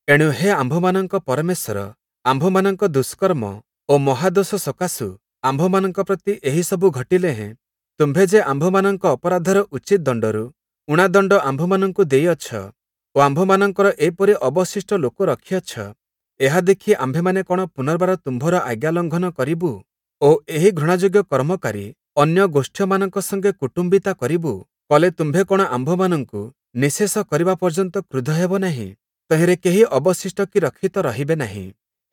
ଏଣୁ ହେ ଆମ୍ଭମାନଙ୍କ ପରମେଶ୍ୱର, ଆମ୍ଭମାନଙ୍କ ଦୁଷ୍କର୍ମ ଓ ମହାଦୋଷ ସକାଶୁ ଆମ୍ଭମାନଙ୍କ ପ୍ରତି ଏହିସବୁ ଘଟିଲେ ହେଁ ତୁମ୍ଭେ ଯେ ଆମ୍ଭମାନଙ୍କ ଅପରାଧର ଉଚିତ ଦଣ୍ଡରୁ ଊଣା ଦଣ୍ଡ ଆମ୍ଭମାନଙ୍କୁ ଦେଇଅଛ ଓ ଆମ୍ଭମାନଙ୍କର ଏପରି ଅବଶିଷ୍ଟ ଲୋକ ରଖିଅଛ, ଏହା ଦେଖି ଆମ୍ଭେମାନେ କଣ ପୁନର୍ବାର ତୁମ୍ଭର ଆଜ୍ଞା ଲଙ୍ଘନ କରିବୁ ଓ ଏହି ଘୃଣାଯୋଗ୍ୟ କର୍ମକାରୀ ଅନ୍ୟ ଗୋଷ୍ଠୀୟମାନଙ୍କ ସଙ୍ଗେ କୁଟୁମ୍ବିତା କରିବୁ? କଲେ ତୁମ୍ଭେ କଣ ଆମ୍ଭମାନଙ୍କୁ ନିଃଶେଷ କରିବା ପର୍ଯ୍ୟନ୍ତ କ୍ରୁଦ୍ଧ ହେବ ନାହିଁ? ତହିଁରେ କେହି ଅବଶିଷ୍ଟ କି ରକ୍ଷିତ ରହିବେ ନାହିଁ।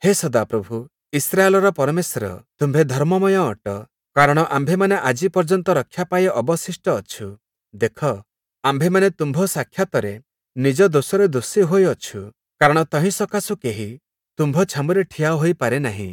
ହେ ସଦାପ୍ରଭୁ, ଇସ୍ରାଏଲର ପରମେଶ୍ୱର, ତୁମ୍ଭେ ଧର୍ମମୟ ଅଟ, କାରଣ ଆମ୍ଭେମାନେ ଆଜି ପର୍ଯ୍ୟନ୍ତ ରକ୍ଷା ପାଇ ଅବଶିଷ୍ଟ ଅଛୁ। ଦେଖ, ଆମ୍ଭେମାନେ ତୁମ୍ଭ ସାକ୍ଷାତରେ ନିଜ ଦୋଷରେ ଦୋଷୀ ହୋଇଅଛୁ, କାରଣ ତହିଁ ସକାଶୁ କେହି ତୁମ୍ଭ ଛାମୁରେ ଠିଆ ହୋଇପାରେ ନାହିଁ।